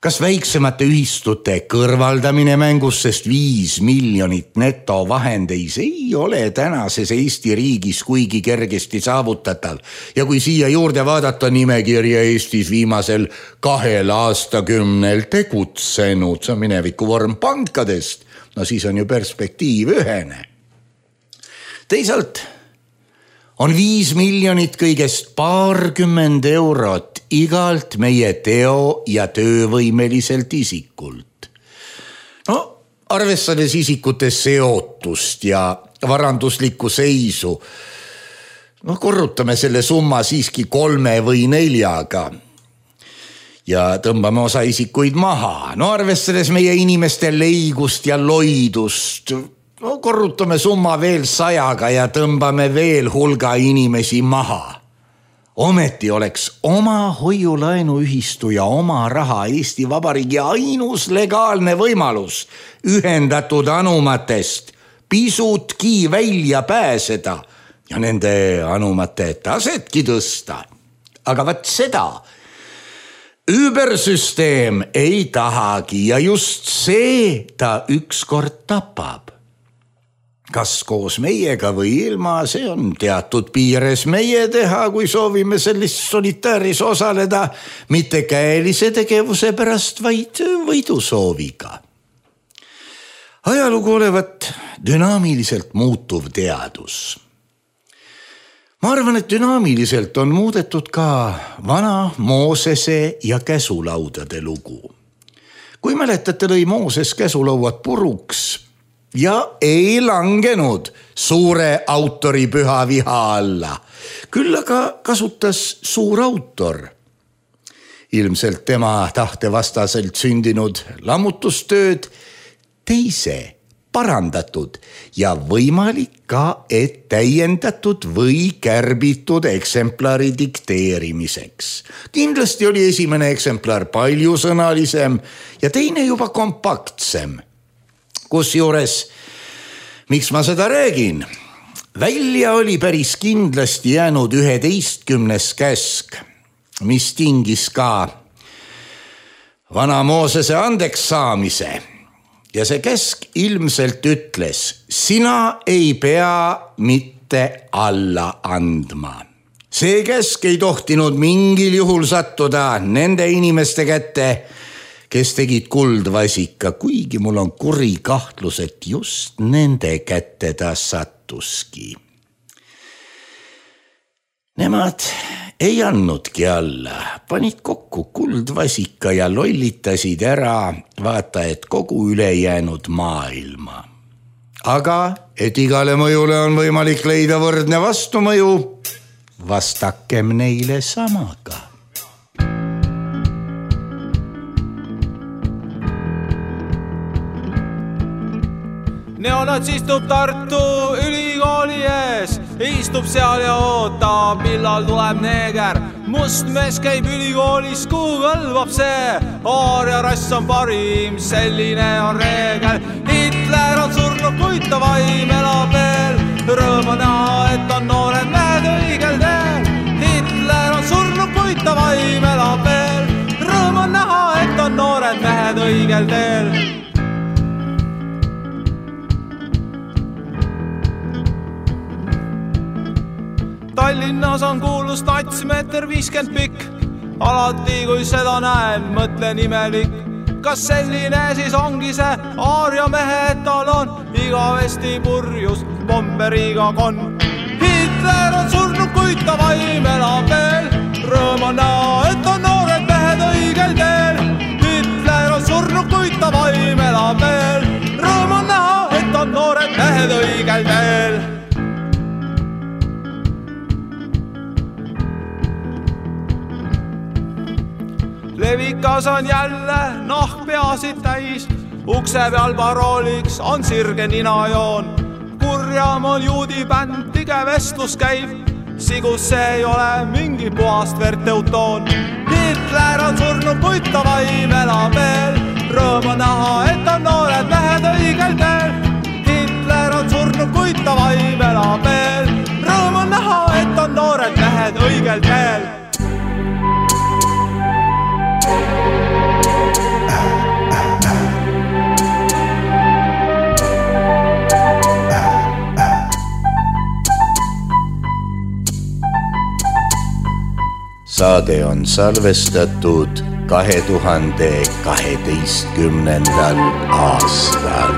Kas väiksemate ühistute kõrvaldamine mängus, sest 5 miljonit netovahendeis ei ole tänases Eesti riigis kuigi kergesti saavutatav. Ja kui siia juurde vaadata nimekirja Eestis viimasel 2 aastakümnel tegutsenud, see on mineviku vorm pankadest, no siis on ju perspektiiv ühene. Teisalt on 5 miljonit kõigest 20 eurot igalt meie teo- ja töövõimeliselt isikult. No, arvestades isikute seotust ja varanduslikku seisu, no korrutame selle summa siiski 3 või 4-ga ja tõmbame osa isikuid maha. No arvestades meie inimeste leigust ja loidust, no korrutame summa veel 100-ga ja tõmbame veel hulga inimesi maha. Ometi oleks oma hoiulaenuühistu ja oma raha Eesti Vabariigi ainus legaalne võimalus Ühendatud Anumatest pisutki välja pääseda ja nende anumate tasetki tõsta. Aga vaat seda übersüsteem ei tahagi ja just see ta ükskord tapab. Kas koos meiega või ilma, see on teatud piires meie teha, kui soovime sellist solitääris osaleda, mitte käelise tegevuse pärast, vaid võidusooviga. Ajalugu olevat dünaamiliselt muutuv teadus. Ma arvan, et dünaamiliselt on muudetud ka vana Moosese ja käsulaudade lugu. Kui mäletate, lõi Mooses käsulauad puruks ja ei langenud suure autori püha viha alla. Küll aga kasutas suur autor ilmselt tema tahtevastaselt sündinud lammutustööd teise parandatud ja võimalik ka, et täiendatud või kärbitud eksemplari dikteerimiseks. Kindlasti oli esimene eksemplar paljusõnalisem ja teine juba kompaktsem. Kusjuures, miks ma seda räägin? Välja oli päris kindlasti jäänud 11. käsk, mis tingis ka vana Moosese andeks saamise. Ja see käsk ilmselt ütles, sina ei pea mitte alla andma. See käsk ei tohtinud mingil juhul sattuda nende inimeste kätte, kes tegid kuldvasika, kuigi mul on kuri kahtlus, et just nende kätte ta sattuski. Nemad ei andnudki alla, panid kokku kuldvasika ja lollitasid ära, vaata, et kogu ülejäänud maailma. Aga et igale mõjule on võimalik leida võrdne vastumõju, vastakem neile samaga. Neonats istub Tartu ülikooli ees, istub seal ja ootab, millal tuleb neeger. Must mees käib ülikoolis, kuhu kõlvab see, aaria rass on parim, selline on reegel. Hitler on surnud, kuid ta vaim elab veel, rõõm on näha, et on noored mehed õigel teel. Hitler on surnud, kuid ta vaim elab veel, rõõm on näha, et on noored mehed õigel teel. Tallinnas on kuulus natsimeeter 50 pikk, alati kui seda näen, mõtlen imelik. Kas selline siis ongi see aaria mehe etalon, igavesti purjus bomberiga kon. Hitler on surnud, kuid ta vaim elab veel, rõõm on näha, et on noored mehed õigel teel. Hitler on surnud, kuid ta vaim elab veel, rõõm on näha, et on noored mehed õigel teel. Levikas on jälle nahk peasid täis, ukse peal parooliks on sirge ninajoon. Kurjam on juudi bänd, tige vestlus käib, sigus see ei ole mingi puhast verteutoon. Hitler on surnud, kuid ta vaim elab veel, rõõm on näha, et on noored mehed õigel teel. Hitler on surnud, kuid ta vaim elab veel, rõõm on näha, et on noored mehed õigel teel. Saade on salvestatud 2012. aastal.